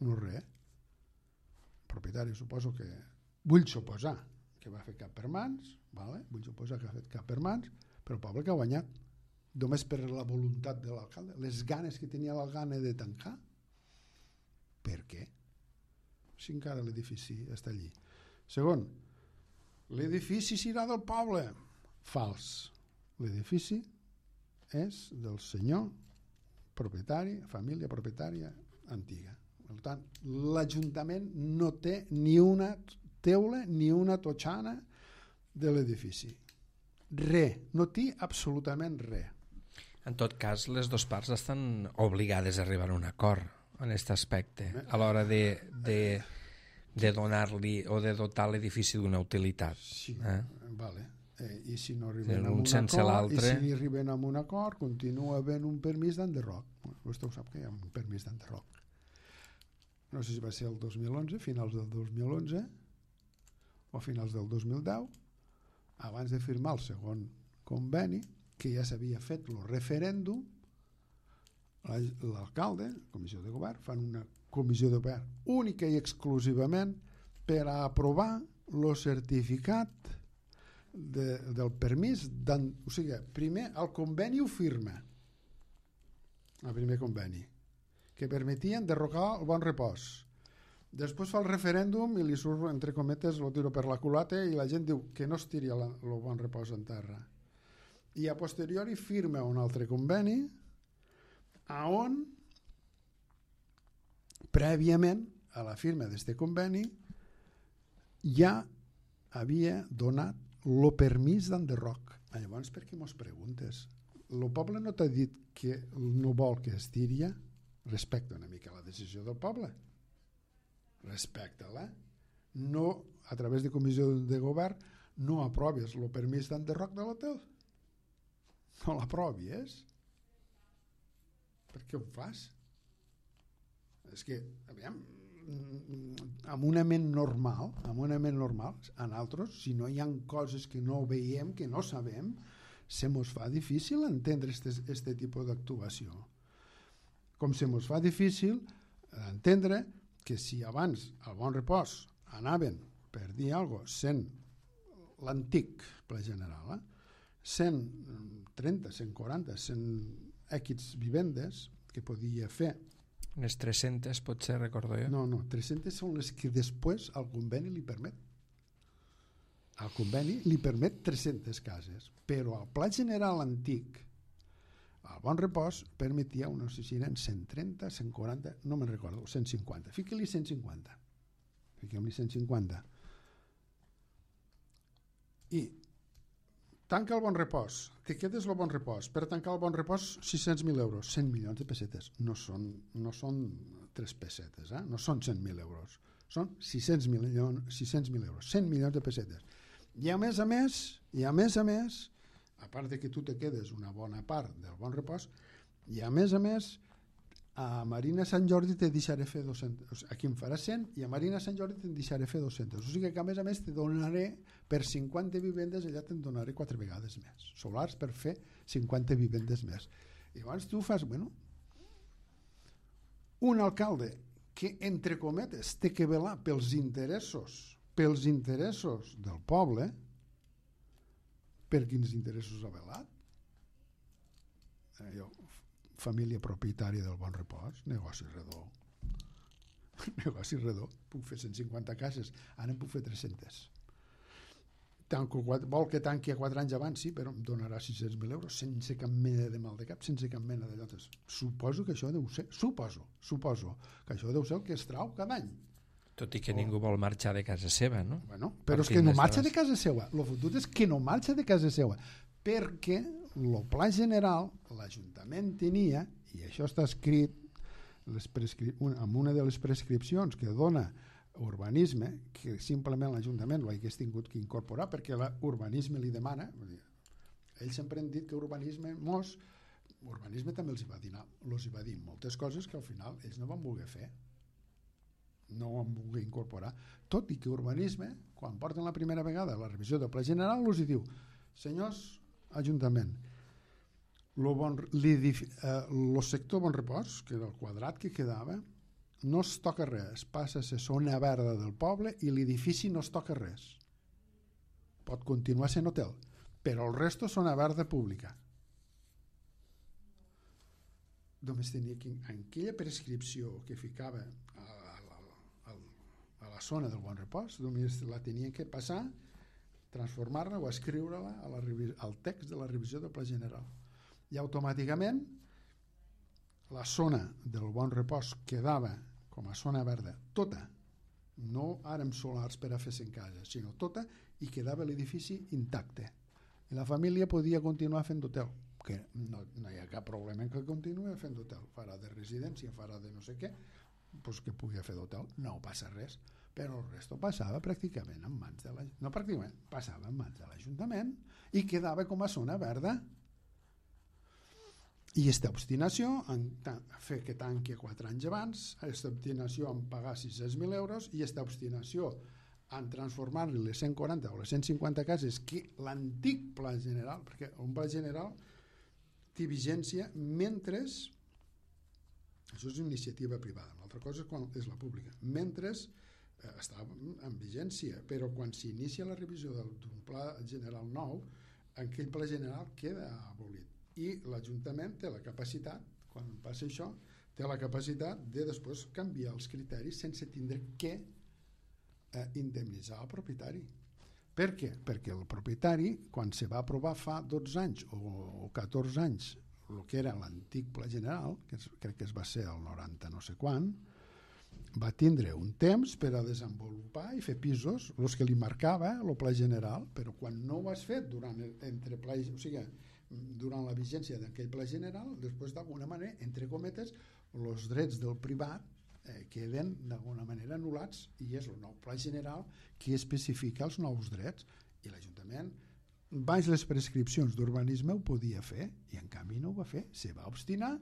S2: No res. El propietari suposo que vull suposar que va fer cap per mans, vale? Vull suposar que ha fet cap per mans, però el poble que ha guanyat només per la voluntat de l'alcalde, les ganes que tenia l'alcalde de tancar. Per què? Si encara l'edifici està allí. Segon, l'edifici serà del poble. Fals. L'edifici és del senyor propietari, família propietària antiga. Per tant, l'Ajuntament no té ni una teula ni una totxana de l'edifici. Re, no té absolutament res.
S1: En tot cas, les dues parts estan obligades a arribar a un acord en aquest aspecte, a l'hora de, de, de donar-li o de dotar l'edifici d'una utilitat.
S2: Sí,
S1: eh?
S2: vale. Eh, I si no arriben a un
S1: sense
S2: acord, i si arriben a un acord, continua havent un permís d'enderroc. Vostè ho sap que hi ha un permís d'enderroc. No sé si va ser el dos mil onze, finals del dos mil onze, o finals del dos mil deu, abans de firmar el segon conveni, que ja s'havia fet el referèndum, l'alcalde, la comissió de govern, fan una comissió de govern única i exclusivament per a aprovar el certificat de, del permís. O sigui, primer el conveni ho firma, el primer conveni, que permetia enderrocar el Bon Repòs. Després fa el referèndum i li surt, entre cometes, lo tiro per la culata i la gent diu que no es tiri el Bon Repòs en terra. I a posteriori firma un altre conveni a on prèviament a la firma d'aquest conveni ja havia donat el permís d'enderroc. Llavors, per què mos preguntes? El poble no t'ha dit que no vol que es tiri? Respecta una mica la decisió del poble. Respecta-la. No, a través de comissió de govern, no aproves el permís d'enderroc de l'hotel. No l'aprovis. Per què ho fas? És que, aviam, amb una ment normal, amb una ment normal, a nosaltres, si no hi ha coses que no veiem, que no sabem, se mos fa difícil entendre aquest tipus d'actuació. Com se mos fa difícil entendre que si abans al Bon Repòs anaven, per dir alguna cosa, sent l'antic Pla General, eh? cent trenta, cent quaranta, cent equis vivendes que podia fer.
S1: Unes tres-centes, potser, recordo jo.
S2: No, no, tres-centes són les que després el conveni li permet. El conveni li permet tres-centes cases, però el Pla General antic, el Bon Repòs, permetia unes cent trenta, cent quaranta, no me'n recordo, cent cinquanta. Fica-li cent cinquanta. Fiquem-li cent cinquanta. I tanca el Bon Repòs, te quedes el Bon Repòs. Per tancar el Bon Repòs, sis-cents mil euros, cent milions de pessetes. No són, no són tres pessetes, eh? No són cent mil euros. Són sis-cents mil euros, cent milions de pessetes. I a més a més, i a més a més, a part de que tu te quedes una bona part del Bon Repòs, i a més a més, a Marina Sant Jordi te deixaré fer dos-cents, aquí em farà cent, i a Marina Sant Jordi te deixaré fer dos-cents. O sigui que a més a més te donaré, per cinquanta vivendes, allà te'n donaré quatre vegades més. Solars per fer cinquanta vivendes més. I llavors tu fas, bueno, un alcalde que, entre cometes, té que velar pels interessos, pels interessos del poble, per quins interessos ha velat? Eh, jo, família propietària del Bon Repòs, negoci redó. Negoci redó. Puc fer cent cinquanta cases, ara en puc fer tres-centes. Tanco, vol que tanqui a quatre anys abans, sí, però em donarà sis-cents mil euros sense cap mena de mal de cap, sense cap mena de llotes. Suposo que això deu ser, suposo, suposo, que això deu ser el que es trau cada any.
S1: Tot i que oh. ningú vol marxar de casa seva, no?
S2: Bueno, però és que no marxa de casa seva. El fotut és que no marxa de casa seva, perquè el pla general, l'Ajuntament tenia, i això està escrit les prescri... en una de les prescripcions que dona urbanisme, que simplement l'Ajuntament ho hagués tingut que incorporar perquè l'urbanisme li demana. Ells sempre han dit que urbanisme mos, urbanisme també els hi va dir, els hi va dir moltes coses que al final ells no van voler fer, no ho van voler incorporar, tot i que urbanisme, quan porten la primera vegada la revisió del Pla General, els hi diu, senyors Ajuntament, lo bon, eh, sector Bon Repòs, que era el quadrat que quedava, no es toca res, passa a ser zona verda del poble i l'edifici no es toca res. Pot continuar sent hotel, però el resto és zona verda pública. Només tenia que, en aquella prescripció que ficava a, a, a, a la zona del Bon Repòs, només la tenia que passar, transformar-la o escriure-la a la, al text de la revisió del Pla General. I automàticament la zona del Bon Repòs quedava com a zona verda tota no ara amb solars per a fer-se en casa, sinó tota, i quedava l'edifici intacte. I la família podia continuar fent hotel, que no, no hi ha cap problema en que continuï fent hotel, farà de residència, farà de no sé què, doncs que pugui fer d'hotel, no passa res, però el resto passava pràcticament en mans de la, no pràcticament, passava en mans de l'Ajuntament i quedava com a zona verda. I aquesta obstinació en fer que tanqui quatre anys abans, aquesta obstinació en pagar sis-cents mil euros i aquesta obstinació en transformar-li les cent quaranta o les cent cinquanta cases que l'antic pla general, perquè un pla general té vigència mentre, això és iniciativa privada, una altra cosa és quan és la pública, mentre eh, està en vigència, però quan s'inicia la revisió d'un pla general nou, aquell pla general queda abolit. I l'Ajuntament té la capacitat, quan passa això, té la capacitat de després canviar els criteris sense tindre que eh, indemnitzar el propietari. Per què? Perquè el propietari, quan se va aprovar fa dotze anys o, o catorze anys el que era l'antic pla general, que es, crec que es va ser el noranta no sé quan, va tindre un temps per a desenvolupar i fer pisos, els que li marcava el pla general, però quan no ho has fet durant el, entre pla, o sigui, durant la vigència d'aquell pla general, després d'alguna manera, entre cometes, els drets del privat eh, queden d'alguna manera anul·lats i és el nou pla general que especifica els nous drets i l'Ajuntament baix les prescripcions d'urbanisme ho podia fer i en canvi no ho va fer, se va obstinar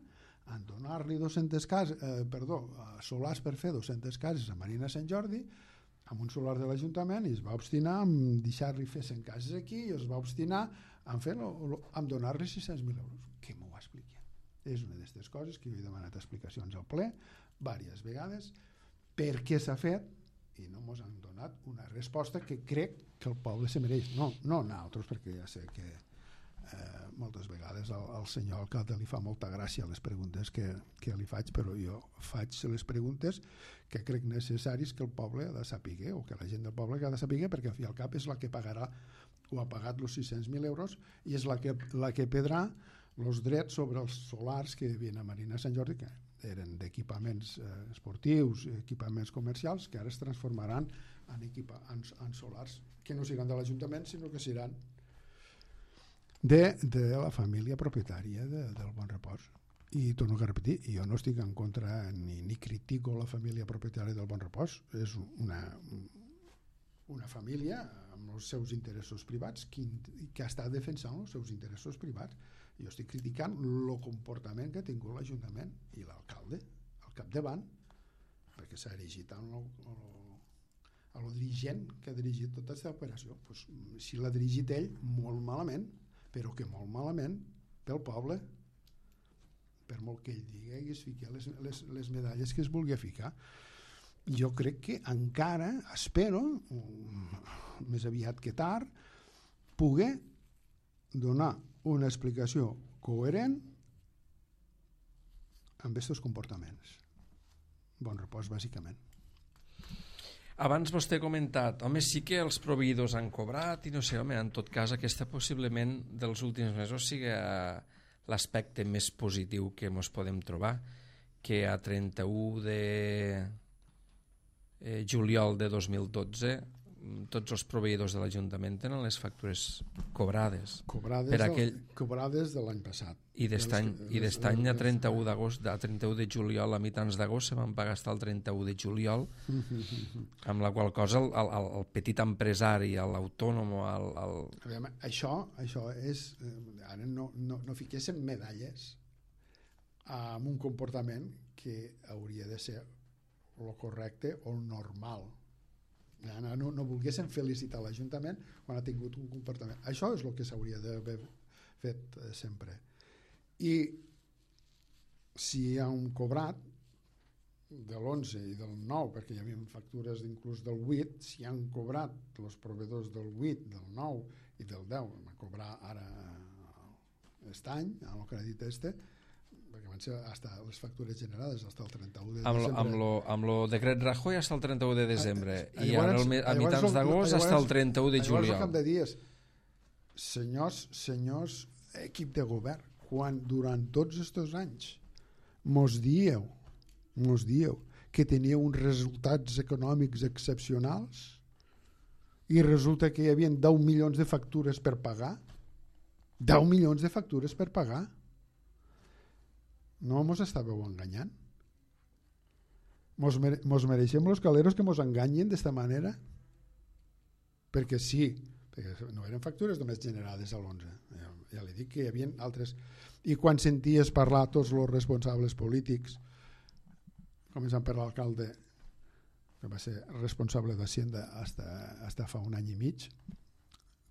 S2: en donar-li dos-centes cases, eh, perdó, solars per fer dos-centes cases a Marina Sant Jordi amb un solar de l'Ajuntament i es va obstinar en deixar-li fer cent cases aquí i es va obstinar en, fer-lo, en donar-li sis-cents mil euros. Que m'ho expliqui. És una d'aquestes coses que jo he demanat explicacions al ple diverses vegades per què s'ha fet i no ens han donat una resposta que crec que el poble se mereix. No, no nosaltres, perquè ja sé que eh, moltes vegades al, al senyor alcalde li fa molta gràcia les preguntes que, que li faig, però jo faig les preguntes que crec necessaris que el poble ha de saber, o que la gent del poble ha de saber, perquè al fi al cap és la que pagarà o ha pagat els sis-cents mil euros i és la que, la que perdrà els drets sobre els solars que hi havia a Marina Sant Jordi, que eren d'equipaments eh, esportius, equipaments comercials, que ara es transformaran en, equipa, en, en solars que no seran de l'Ajuntament, sinó que seran de, de la família propietària de, del Bon Repòs. I torno a repetir, jo no estic en contra ni, ni critico la família propietària del Bon Repòs, és una, una família amb els seus interessos privats que, que està defensant els seus interessos privats. Jo estic criticant el comportament que ha tingut l'Ajuntament i l'alcalde al capdavant, perquè s'ha erigit en el, el, el dirigent que ha dirigit tota aquesta operació. Pues, si l'ha dirigit ell, molt malament, però que molt malament pel poble, per molt que ell digui i es fiqui les, les, les medalles que es vulgui ficar. Jo crec que encara espero, més aviat que tard, poder donar una explicació coherent amb aquests comportaments. Bon Repòs, bàsicament.
S1: Abans vostè ha comentat, home, sí que els proveïdors han cobrat i no sé, home, en tot cas aquesta possiblement dels últims mesos sigui l'aspecte més positiu que ens podem trobar, que a trenta-u de eh, juliol de dos mil dotze tots els proveïdors de l'Ajuntament tenen les factures cobrades.
S2: Cobrades,
S1: per aquell...
S2: del, cobrades de l'any passat.
S1: I d'aquest any a trenta-u d'agost, a trenta-u de juliol, a mitjans d'agost, se van pagar fins al trenta-u de juliol, amb la qual cosa el, el, el petit empresari, l'autònom... El, el...
S2: Aviam, això, això és... Ara no, no, no fiquéssim medalles amb un comportament que hauria de ser el correcte o el normal. No, no, no volguéssim felicitar l'Ajuntament quan ha tingut un comportament. Això és el que s'hauria d'haver fet eh, sempre. I si hi ha un cobrat de l'onze i del nou, perquè hi havia factures inclús del vuit, si han cobrat els proveïdors del vuit, del nou i del deu, van cobrar ara aquest any, amb el crèdit este, perquè van ser hasta les factures generades fins al trenta-u de desembre.
S1: Amb lo, amb lo decret Rajoy fins al trenta-u de desembre a, a, i ara el, a mitjans d'agost fins al trenta-u de juliol.
S2: Llavors el cap de dies, senyors, senyors equip de govern, quan durant tots aquests anys mos dieu, mos dieu que tenia uns resultats econòmics excepcionals i resulta que hi havia deu milions de factures per pagar. deu milions de factures per pagar. No mos estàveu enganyant? Mos, mere mos mereixem los caleros que mos enganyen d'esta manera? Perquè sí, perquè no eren factures només generades a l'onze. Ja, ja li dic que hi havia altres. I quan senties parlar tots els responsables polítics, començant per l'alcalde, que va ser responsable d'Hacienda fins fa un any i mig,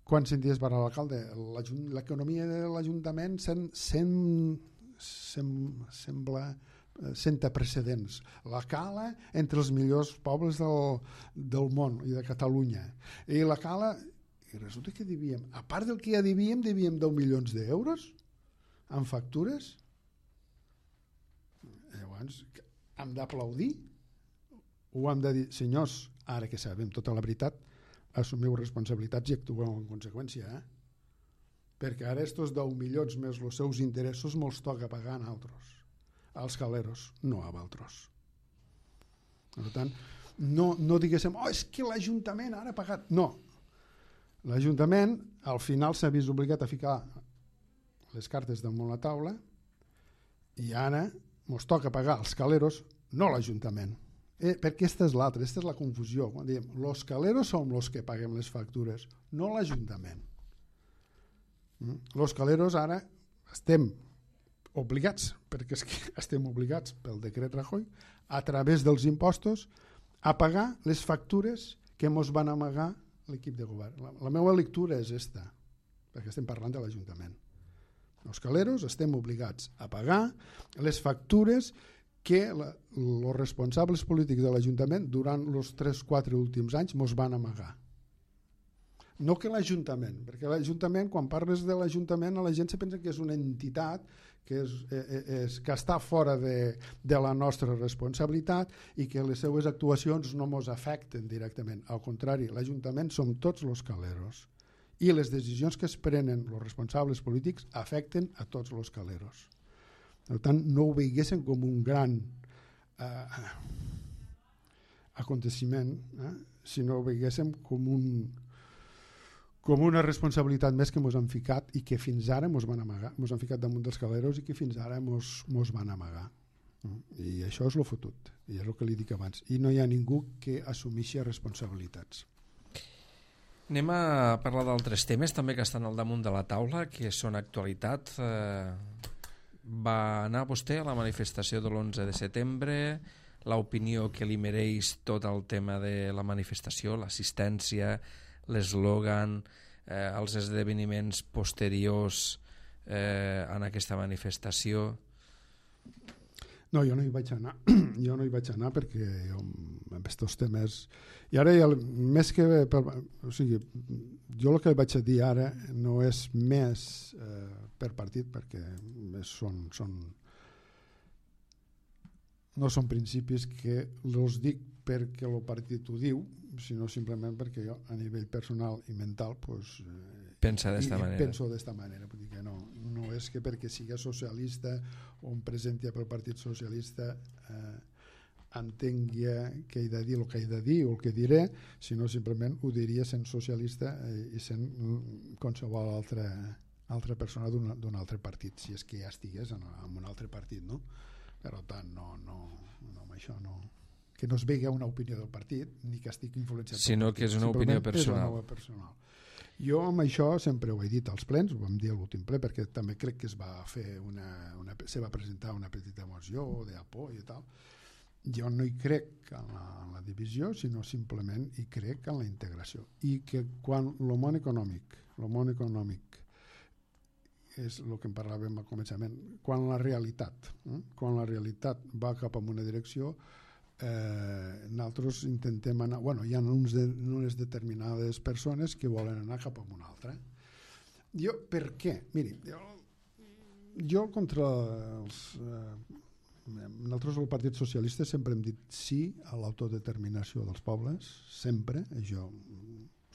S2: quan senties parlar l'alcalde, l'economia de l'Ajuntament sem, sem, sem, sembla senta precedents. La Cala entre els millors pobles del, del món i de Catalunya. I la Cala, i resulta que devíem, a part del que ja devíem, devíem deu milions d'euros en factures. Llavors, hem d'aplaudir o hem de dir, senyors, ara que sabem tota la veritat, assumiu responsabilitats i actueu en conseqüència, eh? Perquè ara estos deu milions més els seus interessos me'ls toca pagar a altres, als caleros, no a altres. Per tant, no, no diguéssim, oh, és que l'Ajuntament ara ha pagat. No, l'Ajuntament al final s'ha vist obligat a ficar les cartes damunt la taula i ara ens toca pagar als caleros, no l'Ajuntament. Eh, perquè aquesta és l'altra, aquesta és la confusió. Quan diem, los caleros som los que paguem les factures, no l'Ajuntament. Mm? Los caleros ara estem obligats, perquè és que estem obligats pel decret Rajoy, a través dels impostos, a pagar les factures que ens van amagar l'equip de govern. La, la meva lectura és esta, perquè estem parlant de l'Ajuntament. Els caleros estem obligats a pagar les factures que els responsables polítics de l'Ajuntament durant els tres quatre últims anys ens van amagar. No que l'Ajuntament, perquè l'Ajuntament, quan parles de l'Ajuntament, la gent se pensa que és una entitat que, és, és, que està fora de, de la nostra responsabilitat i que les seues actuacions no ens afecten directament. Al contrari, l'Ajuntament som tots els caleros i les decisions que es prenen els responsables polítics afecten a tots els caleros. Per tant, no ho veiguessin com un gran eh, aconteciment, eh, sinó ho veiguessin com un com una responsabilitat més que ens han ficat i que fins ara ens van amagar, ens han ficat damunt dels caleros i que fins ara ens van amagar. I això és el fotut, i és el que li dic abans. I no hi ha ningú que assumeixi responsabilitats.
S1: Anem a parlar d'altres temes també que estan al damunt de la taula, que són actualitat. Va anar vostè a la manifestació de l'onze de setembre, l'opinió que li mereix tot el tema de la manifestació, l'assistència, l'eslògan, eh, els esdeveniments posteriors eh, en aquesta manifestació?
S2: No, jo no hi vaig anar. Jo no hi vaig anar perquè jo, amb aquests temes... I ara, ja, més que... Per, o sigui, jo el que vaig a dir ara no és més eh, per partit, perquè són, són, no són principis que els dic perquè el partit ho diu, sinó simplement perquè jo a nivell personal i mental pues, eh,
S1: pensa d'esta manera.
S2: Penso d'esta manera. Vull dir que no, no és que perquè sigui socialista o em presenti pel Partit Socialista eh, entengui que he de dir el que he de dir o el que diré, sinó simplement ho diria sent socialista eh, i sent qualsevol altra, altra persona d'un altre partit, si és que ja estigués en, en un altre partit, no? Per tant, no, no, no amb això no... que no es vegi una opinió del partit ni que estic influenciat
S1: sinó que és una opinió personal.
S2: Una personal. Jo amb això sempre ho he dit als plens, ho vam dir a l'últim ple perquè també crec que es va fer una, una, se va presentar una petita moció d'apoyo i tal. Jo no hi crec en la, en la divisió, sinó simplement hi crec en la integració i que quan el món econòmic el món econòmic és el que en parlàvem al començament, quan la realitat eh? quan la realitat va cap a una direcció, Eh, nosaltres intentem anar, bueno, hi ha uns de, unes determinades persones que volen anar cap a una altra. Jo, per què? Miri, jo, jo contra els eh, nosaltres el Partit Socialista sempre hem dit sí a l'autodeterminació dels pobles, sempre, jo,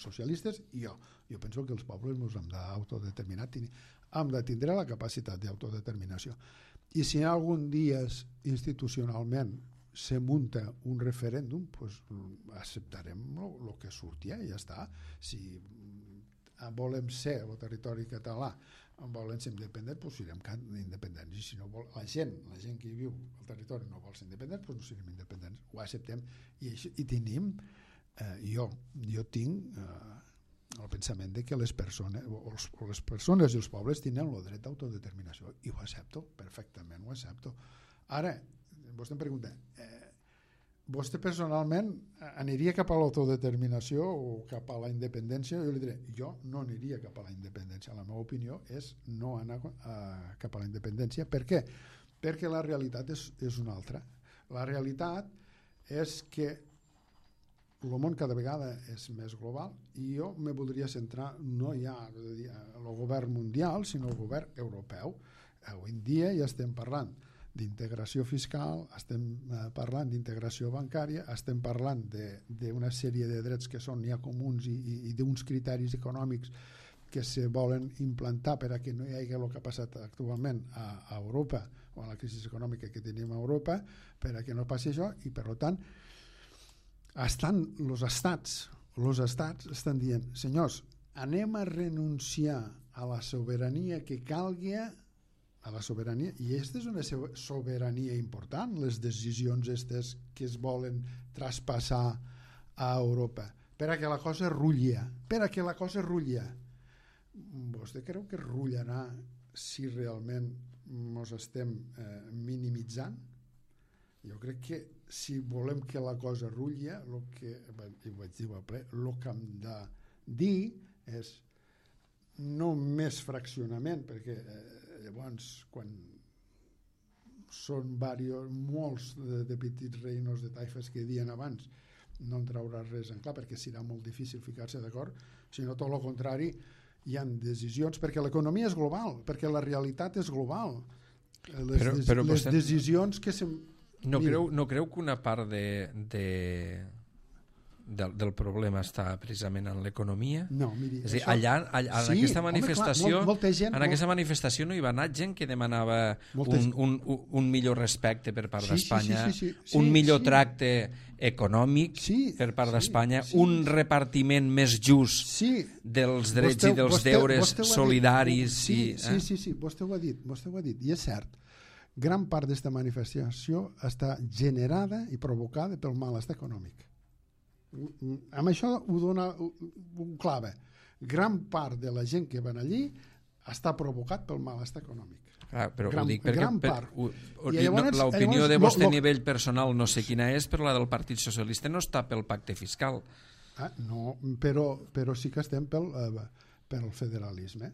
S2: socialistes i jo. Jo penso que els pobles ens hem d'autodeterminar, hem de tindre la capacitat d'autodeterminació. I si algun dia institucionalment se munta un referèndum, pues, acceptarem el que surti i ja està. Si volem ser el territori català, volen ser independents, doncs serem independents, i si no vol, la gent, la gent que hi viu al territori no vol ser independents, doncs no serem independents, ho acceptem, i, això, i tenim eh, jo, jo tinc eh, el pensament de que les persones, o les persones i els pobles tenen el dret d'autodeterminació, i ho accepto, perfectament ho accepto. Ara, vostè em pregunta, eh, vostè personalment aniria cap a l'autodeterminació o cap a la independència? Jo li diré, jo no aniria cap a la independència. La meva opinió és no anar a, cap a la independència. Per què? Perquè la realitat és, és una altra. La realitat és que el món cada vegada és més global i jo me voldria centrar no ja el govern mundial, sinó el govern europeu. Avui en dia ja estem parlant d'integració fiscal, estem parlant d'integració bancària, estem parlant d'una sèrie de drets que són ja comuns i, i, i d'uns criteris econòmics que se volen implantar per a que no hi hagi el que ha passat actualment a, a Europa o a la crisi econòmica que tenim a Europa, per a que no passi això, i per tant estan els estats, els estats estan dient, senyors, anem a renunciar a la sobirania que calgui, a la sobirania, i aquesta és una sobirania important, les decisions aquestes que es volen traspassar a Europa, per a que la cosa rutlla, per a que la cosa rutlla. Vostè creu que rullarà si realment ens estem eh, minimitzant? Jo crec que si volem que la cosa rutlla, el que, i ho vaig dir al ple, el que hem de dir és no més fraccionament, perquè eh, llavors quan són varios, molts de, de petits reinos de taifes que diuen abans, no en traurà res en clar, perquè serà molt difícil ficar-se d'acord, sinó tot el contrari, hi ha decisions, perquè l'economia és global, perquè la realitat és global. Les,
S1: però,
S2: des,
S1: però
S2: les
S1: vostè...
S2: decisions que se...
S1: No creu, no creu que una part de, de, del, del problema està precisament en l'economia?
S2: No, miri...
S1: És a dir,
S2: això...
S1: allà, allà en
S2: sí,
S1: aquesta manifestació,
S2: home, clar, molt, molta gent,
S1: en
S2: molt...
S1: aquesta manifestació no hi va anar gent que demanava
S2: Molta...
S1: un, un, un millor respecte per part
S2: sí,
S1: d'Espanya,
S2: sí, sí, sí, sí,
S1: un millor
S2: sí.
S1: tracte econòmic
S2: sí,
S1: per part
S2: sí,
S1: d'Espanya,
S2: sí,
S1: un repartiment més just
S2: sí.
S1: dels drets
S2: vostè,
S1: i dels
S2: vostè,
S1: deures
S2: vostè
S1: solidaris.
S2: Sí,
S1: i,
S2: sí,
S1: eh?
S2: sí, sí, vostè ho ha dit, vostè ho ha dit, i és cert. Gran part d'aquesta manifestació està generada i provocada pel malestar econòmic. Amb això ho dona un clave. Gran part de la gent que van allí està provocat pel malestar econòmic.
S1: Clar, però
S2: gran,
S1: ho dic perquè
S2: gran
S1: per,
S2: part.
S1: ho, ho,
S2: llavors,
S1: no, l'opinió
S2: llavors,
S1: de vostè
S2: lo,
S1: a nivell personal no sé quina és, però la del Partit Socialista no està pel pacte fiscal.
S2: Ah, no, però, però sí que estem pel, eh, pel federalisme,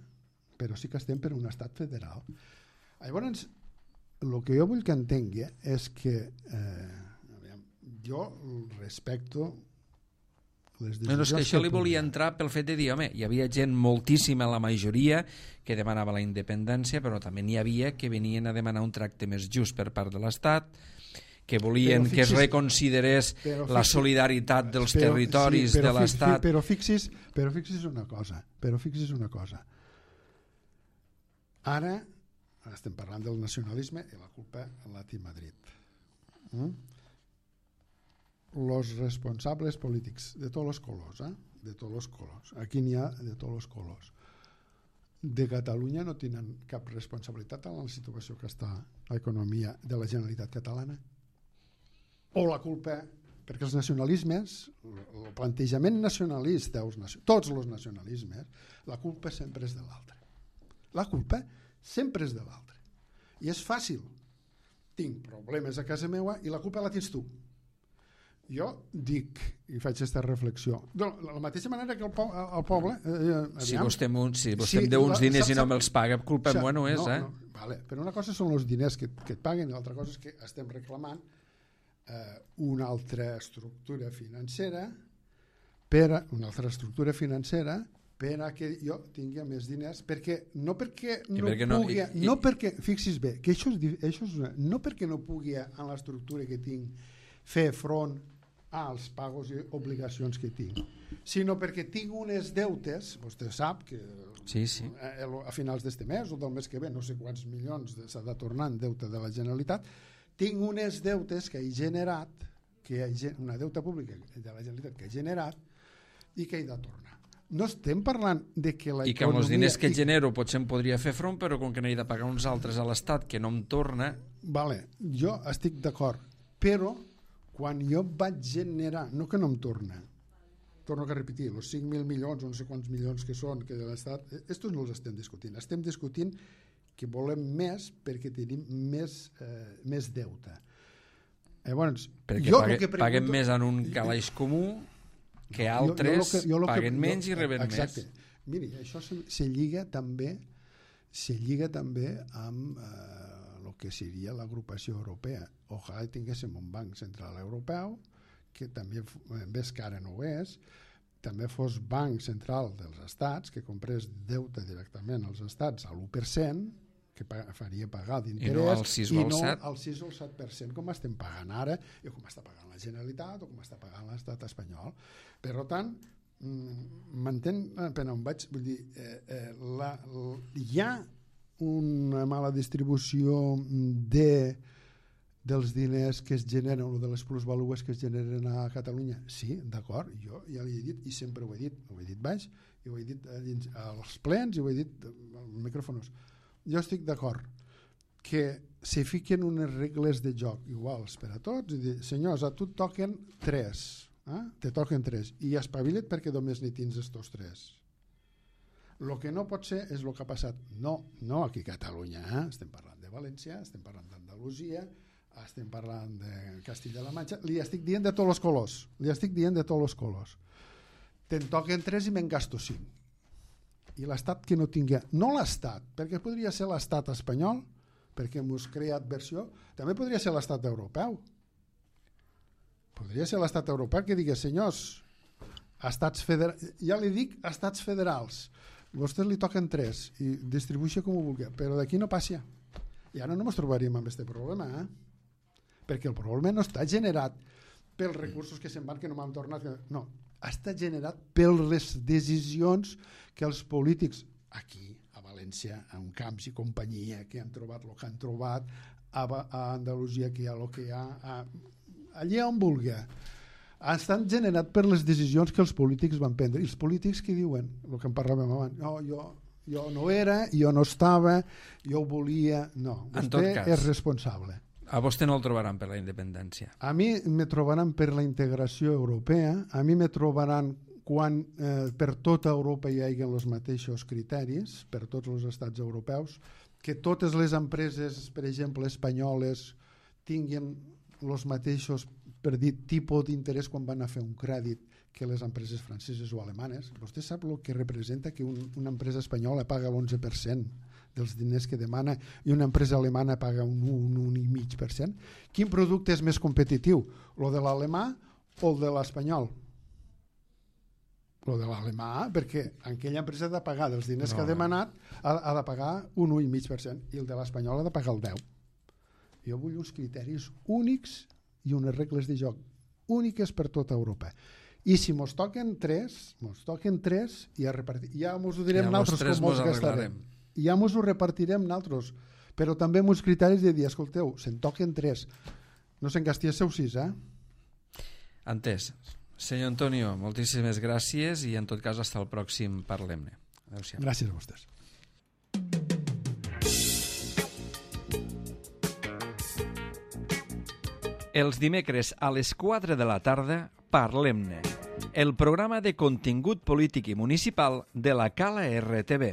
S2: però sí que estem per un estat federal. Llavors, el que jo vull que entengui és que eh, aviam, jo respecto les decisions...
S1: No, no, és que això
S2: que
S1: li volia
S2: pugui.
S1: entrar pel fet de dir, home, hi havia gent moltíssima, la majoria, que demanava la independència, però també n'hi havia que venien a demanar un tracte més just per part de l'Estat, que volien fixis, que es reconsiderés fixis, la solidaritat dels però, territoris sí, de l'Estat.
S2: Fi, però fixis, però fixis una cosa, però fixis una cosa. Ara estem parlant del nacionalisme i la culpa la té Madrid. Mm? Los responsables polítics de tots els colors, eh? de tots els colors, aquí n'hi ha de tots els colors, de Catalunya no tenen cap responsabilitat en la situació que està l'economia de la Generalitat catalana? O la culpa, perquè els nacionalismes, el plantejament nacionalista, tots els nacionalismes, la culpa sempre és de l'altre. La culpa sempre és de l'altre. I és fàcil. Tinc problemes a casa meva i la culpa la tens tu. Jo dic, i faig aquesta reflexió, de la mateixa manera que el, po el poble... Eh,
S1: si vostè, si vostè sí, em deu uns diners sap, i no me'ls paga, culpa meva no és, no, eh? No,
S2: vale, però una cosa són els diners que, que et paguen i l'altra cosa és que estem reclamant eh, una altra estructura financera per a, una altra estructura financera per a que jo tingui més diners, perquè no perquè no perquè pugui, no, i, no perquè, fixis bé, que això és, això és una, no perquè no pugui en l'estructura que tinc fer front als pagos i obligacions que tinc, sinó perquè tinc unes deutes, vostè sap que
S1: sí, sí.
S2: A, a finals d'este mes o del mes que ve, no sé quants milions s'ha de tornar en deute de la Generalitat, tinc unes deutes que he generat, que he, una deuta pública de la Generalitat que he generat i que he de tornar. No estem parlant de que la
S1: I que amb els diners que genero potser em podria fer front, però com que n'he de pagar uns altres a l'Estat que no em torna...
S2: Vale, jo estic d'acord, però quan jo vaig generar, no que no em torna, torno a repetir, els cinc mil milions, no sé quants milions que són, que de l'Estat, estos no els estem discutint, estem discutint que volem més perquè tenim més, eh, més deute. Llavors,
S1: perquè
S2: jo
S1: pague,
S2: que pregunto,
S1: paguem més en un calaix comú que altres jo, jo que, jo paguen que, menys jo, i reben
S2: exacte. més. Miri, això se, se lliga també se lliga també amb el eh, que seria l'agrupació europea. Ojalà tinguéssim un banc central europeu que també, ves que ara no ho és, també fos banc central dels estats, que comprés deute directament als estats a l'u per cent, que faria pagar d'interès,
S1: i no al sis o al set,
S2: al sis o al set per cent com estem pagant ara, i com està pagant la Generalitat o com està pagant l'estat espanyol. Per tant, m'entén per on vaig? Vull dir, eh, eh, la, la, hi ha una mala distribució de, dels diners que es generen o de les plusvalues que es generen a Catalunya? Sí, d'acord, jo ja l'he dit i sempre ho he dit, ho he dit baix, i ho he dit als plens i ho he dit als micròfons. Jo estic d'acord que se fiquen unes regles de joc iguals per a tots i dir, senyors, a tu et toquen tres, eh? te toquen tres, i espavila't perquè només n'hi tens estos tres. El que no pot ser és el que ha passat. No, no aquí a Catalunya, eh? Estem parlant de València, estem parlant d'Andalusia, estem parlant de Castilla-La Manxa, li estic dient de tots els colors, li estic dient de tots els colors. Te'n toquen tres i me'n gasto cinc. I l'Estat que no tingui, no l'Estat, perquè podria ser l'Estat espanyol, perquè mos crea adversió, també podria ser l'Estat europeu. Podria ser l'Estat europeu que digui, senyors, estats federals, ja li dic estats federals, vostès li toquen tres i distribueixi com ho vulgui, però d'aquí no passi. I ara no ens trobaríem amb aquest problema, eh? Perquè el problema no està generat pels recursos que se'n van, que no m'han tornat, no, està generat per les decisions que els polítics aquí, a València, a un camps i companyia, que han trobat el que han trobat, a, a Andalusia, que hi ha el que hi ha, a, allà on vulgui, estan generat per les decisions que els polítics van prendre. I els polítics que diuen, el que en parlàvem abans, no, jo, jo no era, jo no estava, jo volia... No, vostè és responsable.
S1: A vostè no el trobaran per la independència.
S2: A mi me trobaran per la integració europea, a mi me trobaran quan eh, per tota Europa hi hagi els mateixos criteris, per tots els estats europeus, que totes les empreses, per exemple, espanyoles, tinguin els mateixos, per dir, tipus d'interès quan van a fer un crèdit que les empreses franceses o alemanes. Vostè sap el que representa que un, una empresa espanyola paga l'onze per cent dels diners que demana i una empresa alemana paga un un coma cinc per cent. Quin producte és més competitiu? El de l'alemà o el de l'espanyol? El de l'alemà, perquè aquella empresa ha de pagar dels diners no, que ha demanat, ha, ha de pagar un un coma cinc per cent i el de l'espanyol ha de pagar el deu per cent. Jo vull uns criteris únics i unes regles de joc úniques per tota Europa. I si mos toquen tres, mos toquen tres i ja, repartir, ja mos ho direm nosaltres com mos gastarem. Ja mos ho repartirem nosaltres, però també amb uns criteris de dir, escolteu, se'n toquen tres, no se'n gasti el seu sis, eh?
S1: Entès. Senyor Antonio, moltíssimes gràcies i en tot cas hasta el pròxim Parlem-ne. Adéu-siau.
S2: Gràcies a vostès.
S1: Els dimecres a les quatre de la tarda, Parlem-ne, el programa de contingut polític i municipal de la Cala R T V.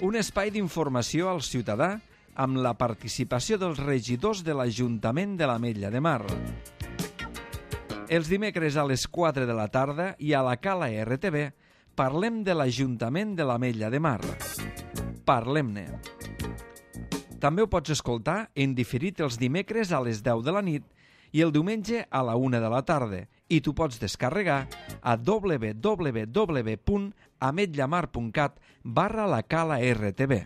S1: Un espai d'informació al ciutadà amb la participació dels regidors de l'Ajuntament de l'Ametlla de Mar. Els dimecres a les quatre de la tarda i a la Cala R T V parlem de l'Ajuntament de l'Ametlla de Mar. Parlem-ne. També ho pots escoltar en diferit els dimecres a les deu de la nit i el diumenge a la una de la tarda i tu pots descarregar a w w w punt ametllamar punt cat barra la Cala R T V.